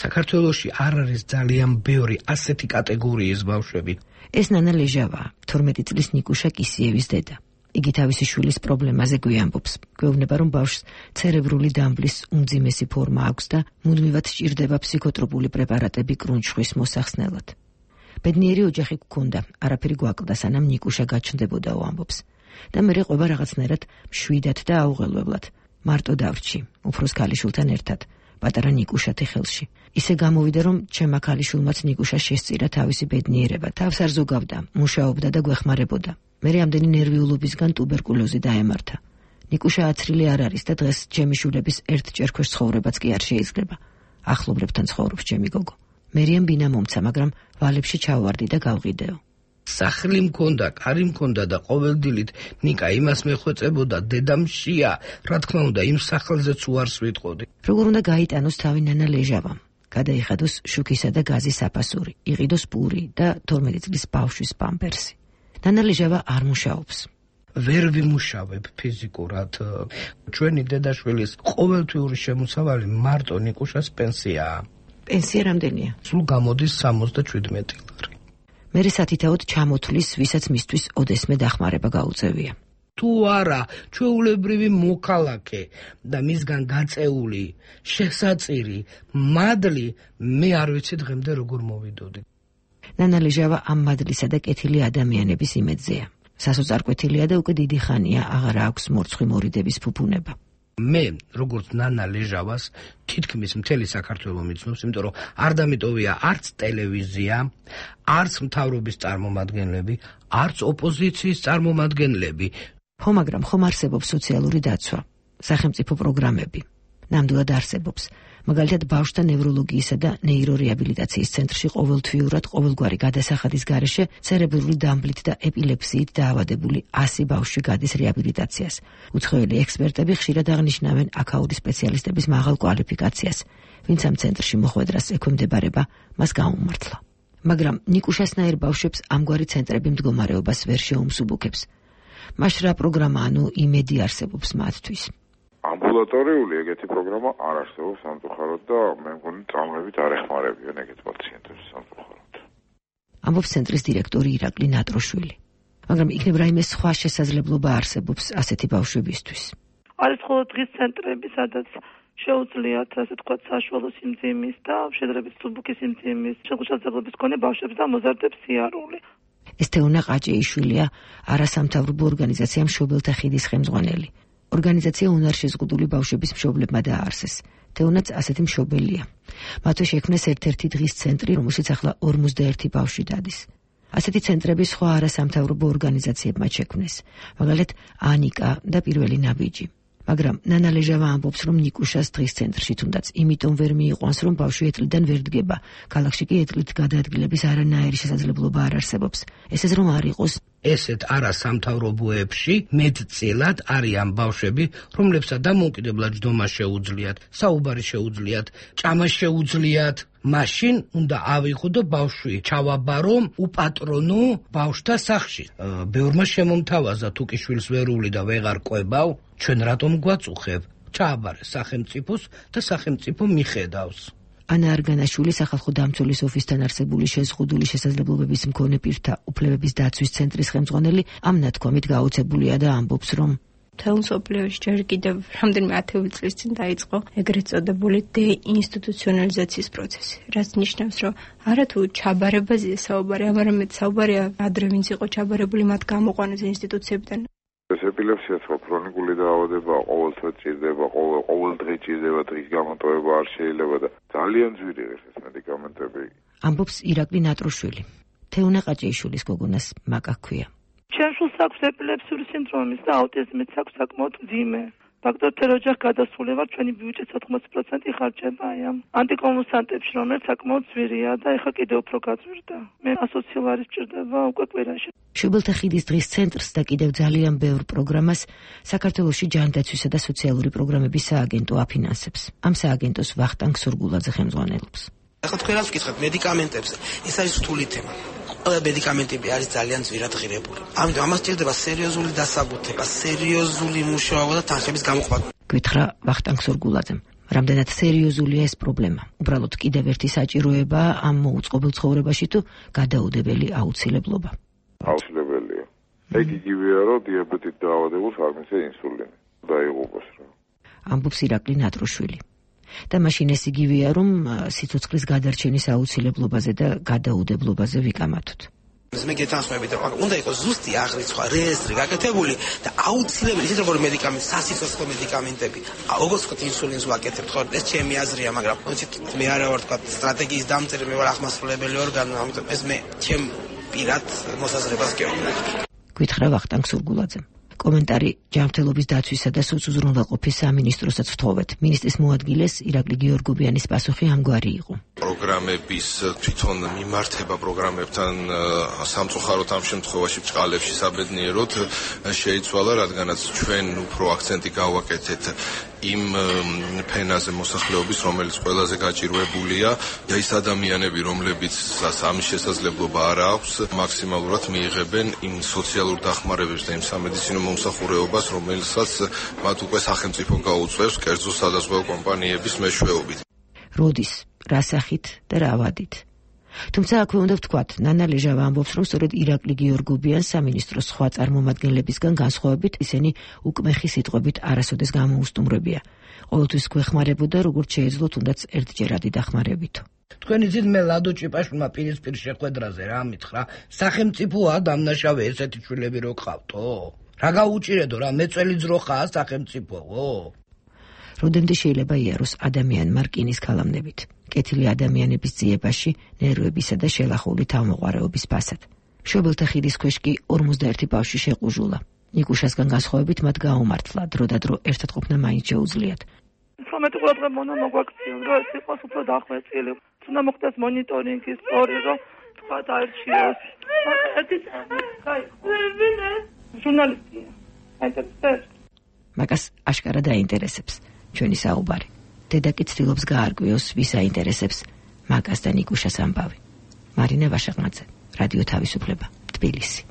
საქართველოში არ არის ძალიან ბევრი ასეთი კატეგორიის ბავშვები. ეს ნანა ლეჟავაა, თორმეტი წლის ნიკუშა კისიევის დედა. იგი თავისი შვილის პრობლემაზე გვიამბობს. გვეუბნება, რომ ბავშვს ცერებრული დამბლის უმძიმესი ფორმა აქვს და მუდმივად სჭირდება ფსიქოტროპული პრეპარატები კრუნჩხვის მოსახსნელად. ბედნიერი ოჯახი გქონდა, არაფერი გვაკლდა, სანამ ნიკუშა გაჩნდებოდაო ამბობს. და მერე ყვება რაღაცნაირად მშვიდად და აუღელვებლად. მარტო დავრჩი, უფროს ქალიშვილთან ერთად, პატარა ნიკუშათი ხელში. ისე გამოვიდა, რომ ჩემმა ქალიშვილმაც ნიკუშა შესწირა თავისი ბედნიერება, თავს არ ზოგავდა, მუშაობდა და გვეხმარებოდა. მერე ამდენი ნერვიულობისგან ტუბერკულოზი დაემართა. ნიკუშა აცრილი არ არის და დღეს ჩემი შვილების ერთ ჭერქვეშ ცხოვრებაც კი არ შეიძლება. ახლობლებთან ცხოვრობს ჩემი გოგო. მერიამ ბინა მომცა, მაგრამ ვალებში ჩავარდი და გავყიდეო. სახლი მქონდა, კარი მქონდა და ყოველდილით ნიკა იმას მეხვეწებოდა, დედა მშია, რა თქმა უნდა, იმ სახლზეც უარს ვიტყოდი. როგორ უნდა გაიტანოს თავი ნანა ლეჟავამ? გადაიხადოს შუქისა და გაზის საფასური, იყიდოს პური და თორმეტი წლის ბავშვის პამპერსი. ნანა ლეჟავა არ მუშაობს. ვერ ვიმუშავებ ფიზიკურად. ჩვენი დედაშვილის ყოველთვიური შემოსავალი მარტო ნიკუშას პენსიაა. პენსია რამდენია? სულ გამოდის სამოცდაშვიდმეტი ლარი. მერე სათითაოდ ჩამოთვლის, ვისაც მისთვის ოდესმე დახმარება გაუწევია. თუ არა, ჩვეულებრივი მოქალაქე და მისგან გაწეული, შესაწირი, მადლი, მე არ ვიცი დღემდე როგორ მოვიდოდი. ნანა ლეჟავა ამ მადლისა და კეთილი ადამიანების იმედზეა. სასოწარკვეთილია და უკვე დიდი ხანია აღარ აქვს მორცხვი მორიდების ფუფუნება. მე, როგორც ნანა ლეჟავას, თითქმის მთელი საქართველო მიცნობს, იმიტომ რომ არ დამიტოვია არც ტელევიზია, არც მთავრობის წარმომადგენლები, არც ოპოზიციის წარმომადგენლები. ხო, მაგრამ ხომ არსებობს სოციალური დაცვა, სახელმწიფო პროგრამები. ნამდვილად არსებობს. მაგალითად, ბავშვთა ნევროლოგიისა და ნეირორეაბილიტაციის ცენტრში ყოველთვიურად ყოველგვარი გადასახადის გარეშე ცერებრული დამბლით და ეპილეფსიით დაავადებული ასი ბავშვი გადის რეაბილიტაციას. უცხოელი ექსპერტები ხშირად აღნიშნავენ აქაური სპეციალისტების მაღალ კვალიფიკაციას, ვინც ამ ცენტრში მოხვედრას ექვემდებარება, მას გაუმართლა. მაგრამ ნიკუშასნაირ ბავშვებს ამგვარი ცენტრები მდგომარეობას ვერ შეუმსუბუქებს. მაშ რა პროგრამა, ანუ იმედი არსებობს მათთვის? ამბულატორიული ეგეთი პროგრამა არ არსებობს სამწუხაროდ და მე მგონი წამებით არ ეხმარებიან ეგეთ პაციენტებს სამწუხაროდ. ამბობს ცენტრის დირექტორი ირაკლი ნატროშვილი. მაგრამ იქნებ რაიმე სხვა შესაძლებლობა არსებობს ასეთი ბავშვებისთვის. არის ხოლმე დღის ცენტრები, სადაც შეუძლიათ, ასე თქვა, საშუალო სიმძიმის და შედარებით მსუბუქი სიმძიმის შესაძლებლობის მქონე ბავშვებს და მოზარდებს სიარული. ეს თეონა ყაჭეიშვილია, არასამთავრობო ორგანიზაცია მშობელთა ხიდის ხელმძღვანელი. ორგანიზაცია უნარშეზღუდული ბავშვების მშობლებმა დააარსეს. თეონაც ასეთი მშობელია. მათთვის შექმნეს ერთ-ერთი დღის ცენტრი, რომელშიც ახლა ორმოცდაერთი ბავშვი დადის. ასეთი ცენტრები სხვა არასამთავრობო ორგანიზაციებმა შექმნეს, მაგალითად ანიკა და პირველი ნაბიჯი. მაგრამ ნანა ლეჟავა ამბობს, რომ ნიკუშას დღის ცენტრში თუნდაც იმიტომ ვერ მიიყვანს, რომ ბავშვი ეტლიდან ვერ დგება. ქალაქში კი ეტლით გადაადგილების არანაირი შესაძლებლობა არ არსებობს. ესეც რომ არ იყოს ესეთ არასამთავრობოებში მეტწილად არიან ბავშვები, რომლებსაც დამოუკიდებლად ჯდომა შეუძლიათ, საუბარი შეუძლიათ, ჭამა შეუძლიათ. მაშინ უნდა ავიღო ბავშვი ჩავაბარო უპატრონო ბავშვთა სახლში. ბევრმა შემომთავაზა თუ კი შვილს ვერული და ვეღარ ყვებავ, ჩვენ რატომ გვაწუხებ? ჩააბარე სახელმწიფოს და სახელმწიფო მიხედავს. ანა არგანაშვილი სახალხო დამცველის ოფისთან არსებული შეზღუდული შესაძლებლობების მქონე პირთა უფლებების დაცვის ცენტრის ხელმძღვანელი ამ ნათქვამით გაოცებულია და ამბობს, რომ მთელ მსოფლიოში ჯერ კიდევ რამდენიმე ათეული წლის წინ დაიწყო ეგრეთ წოდებული დეინსტიტუციონალიზაციის პროცესი, რაც ნიშნავს, რომ არა თუ ჩაბარებაზეა საუბარი, არამედ საუბარია ადრე ვინც იყო ჩაბარებული, მათ გამოყვანეს ინსტიტუციებიდან. ეს ეპილეფსია ხო ქრონიკული დაავადება, ყოველთვის ჭირდება, ყოველ ყოველდღე ჭირდება, დღის გამოტოვება არ შეიძლება და ძალიან ძვირი ეს მედიკამენტები. ამბობს ირაკლი ნატროშვილი. თეუნა ყაჭეიშვილის გოგონას მაკა ჰქვია. ჩემ შულს აქვს ეპილეფსიური სინდრომის და აუტიზმიც აქვს საკმაოდ მძიმე. დოქტორ ოჯახ გადასულება ჩვენი ბიუჯეტის ოთხმოცი პროცენტი ხარჯება აი ამ ანტიკონვულსანტებში, რომელიც საკმაოდ ძვირია და ეხლა კიდევ უფრო გაძვირდა. მე ასოციალარი სჭირდება უკვე კვირაში. შუბელთა ხიდის დღის ცენტრს და კიდევ ძალიან ბევრ პროგრამას საქართველოში ჯანდაცვისა და სოციალური პროგრამების სააგენტო აფინანსებს. ამ სააგენტოს ვახტანგ სურგულაძე ხელმძღვანელობს. ახლა თქვენ რაც ვკითხეთ მედიკამენტებზე, ეს არის რთული თემა. ყველა მედიკამენტები არის ძალიან ძვირად ღირებული. ამიტომ ამას სჭირდება სერიოზული დასაბუთება, სერიოზული მუშაობა და თანხების გამოყვანა. გითხრა ვახტანგ სურგულაძემ. რამდენად სერიოზულია ეს პრობლემა? უბრალოდ კიდევ ერთი საჭიროება ამ მოუწყობილ ცხოვრებაში თუ გადაუდებელი აუცილებლობა? აუცილებელია. ეგ იგივეა, რომ დიაბეტით დაავადებულს არ მისცეს ინსულინი. დაიღუპოს რა. ამბობს ირაკლი ნატროშვილი. და მაშინ ეს იგივეა, რომ სიცოცხლის გადარჩენის აუცილებლობაზე და გადაუდებლობაზე ვიკამათოთ. მე გეთანხმებით, რომ უნდა იყოს ზუსტი აღრიცხვა, რეესტრი გაკეთებული და აუცილებელი ისეთ როგორი მედიკამენტი, სასიცოცხლო მედიკამენტები. როგორც ვთქვათ, ინსულინს ვაკეთებთ, ხო? ეს ჩემი აზრია, მაგრამ მე არა ვარ თქვათ სტრატეგიის დამწერი, მე ვარ აღმასრულებელი ორგანო, ამიტომ ეს მე ჩემ პირად მოსაზრებას გეუბნები. გითხრა ვახტანგ სურგულაძემ. კომენტარი ჯანმრთელობის დაცვისა და სოციალურყოფის სამინისტროსაც ვთხოვეთ. მინისტრის მოადგილეს ირაკლი გიორგობიანის პასუხი ამგვარი იყო. პროგრამების თვითონ მიმართება პროგრამებთან სამწუხაროდ ამ შემთხვევაში ბჭყალებში საბედნიეროდ შეიცვალა, რადგანაც ჩვენ უფრო აქცენტი გავაკეთეთ იმ ფენაზე მოსახლეობის, რომელიც ყველაზე გაჭირვებულია, და ის ადამიანები, რომლებიც ამის შესაძლებლობა არ აქვს, მაქსიმალურად მიიღებენ იმ სოციალურ დახმარებებს და იმ სამედიცინო მომსახურეობას, რომელსაც მათ უკვე სახელმწიფო გაუწევს კერძო სადაზღვევო კომპანიების მეშვეობით. როდის, რა სახით და რა ვადით? თუმცა აქვე უნდა ვთქვათ, ნანა ლეჟავა ამბობს, რომ სწორედ ირაკლი გიორგობიანს სამინისტროს სხვა წარმომადგენლებისგან განსხვავებით ისინი უკმეხი სიტყვებით არასოდეს გამოუსტუმრებია. ყოველთვის გვეხმარებოდა, როგორც შეეძლო თუნდაც ერთჯერადი დახმარებითო. თქვენი ძით მე ლადო ჭიპაშვილმა პირისპირ შეხვედრაზე რა მითხრა, სახელმწიფოა დამნაშავე ესეთი შვილები რო ყავთო? რა გაუჭირედო რა მეწველი ძროხაა სახელმწიფოო? როდემდე შეიძლება იაროს ადამიანმა რკინის ქალამნებით, კეთილი ადამიანების ძიებაში, ნერვებისა და შელახული თავმოყარეობის ფასად. შობელთა ხიდის ქვეშ კი ორმოცდაერთი ბავშვი შეყუჟულა. ნიკუშასგან განსხვავებით მათ გაუმართლა, დრო და დრო ერთად ყოფნა მაინც შეუძლიათ. პრომეტი ყურადღება მონა მოგვაქციონ, რომ ეს იყოს უფრო დახვეწილი. უნდა მოხდეს მონიტორინგი, სწორი, რომ თქვა დაერჩიოს. ერთი წამი, კაი. ჟურნალისტია. აინტერესებს. მაგას აშკარა დაინტერესებს ჩვენი საუბარი. დედა კი ცდილობს გაარკვიოს, ვის აინტერესებს მაგას და ნიკუშას ამბავი. მარინა ვაშაღმაძე, რადიო თავისუფლება, თბილისი.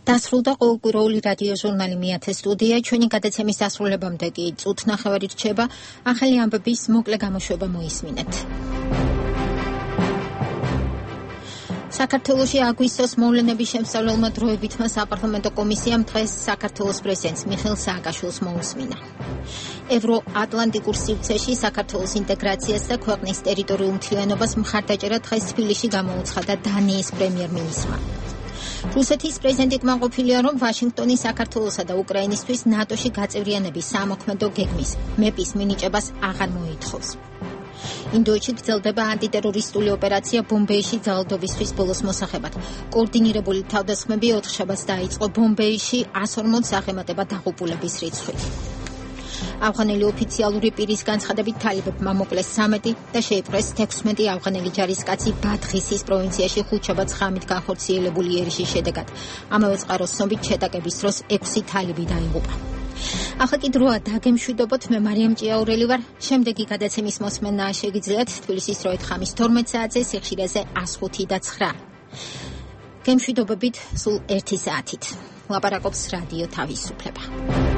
დასრულდა ყოველკვირეული რადიო ჟურნალი მეათე სტუდია. ჩვენი გადაცემის დასრულებამდე კი წუთ ნახევარი რჩება. ახალი ამბების მოკლე გამოშვება მოისმინეთ. საქართველოში აგვისტოს მოვლენების შემსწავლელმა დროებითმა საპარლამენტო კომისიამ დღეს საქართველოს პრეზიდენტს მიხეილ სააკაშვილს მოусმინა. ევროატლანტიკურ სივრცეში საქართველოს ინტეგრაციას და ქვეყნის ტერიტორიულ მთლიანობას მხარდაჭერა დღეს თბილისში გამოუცხადა დანიის პრემიერ-მინისტრმა. რუსეთის პრეზიდენტი კმაყოფილია, რომ ვაშინგტონი საქართველოსა და უკრაინისთვის ნატოში გაწევრიანების სამოქმედო გეგმის მეპის მინიჭებას აღარ მოითხოვს. ინდოეთში გრძელდება ანტიტერორისტული ოპერაცია ბომბეიში ძალადობისთვის ბოლოს მოსახებად. კოორდინირებული თავდასხმები ოთხშაბათს დაიწყო ბომბეიში ას ორმოც აღემატება დაღუპულების რიცხვით. ავღანელი ოფიციალური პირის განცხადებით თალიბებმა მოკლეს სამეტი და შეიპყრეს თექვსმეტი ავღანელი ჯარისკაცი ბადღისის პროვინციაში ხუთშაბათს ღამით განხორციელებული ერიშის შედეგად. ამავე წყაროს ცნობით შეტაკების დროს ექვსი თალიბი დაიღუპა. ახლა კი დროა დაგემშვიდობოთ, მე მარიამ ჭიაურელი ვარ. შემდეგი გადაცემის მოსმენა შეგიძლიათ თბილისის დროით ხამის თორმეტ საათზე, სიხშირეზე ას ხუთი და ცხრა. გემშვიდობებით სულ ერთი საათით. ლაპარაკობს რადიო თავისუფლება.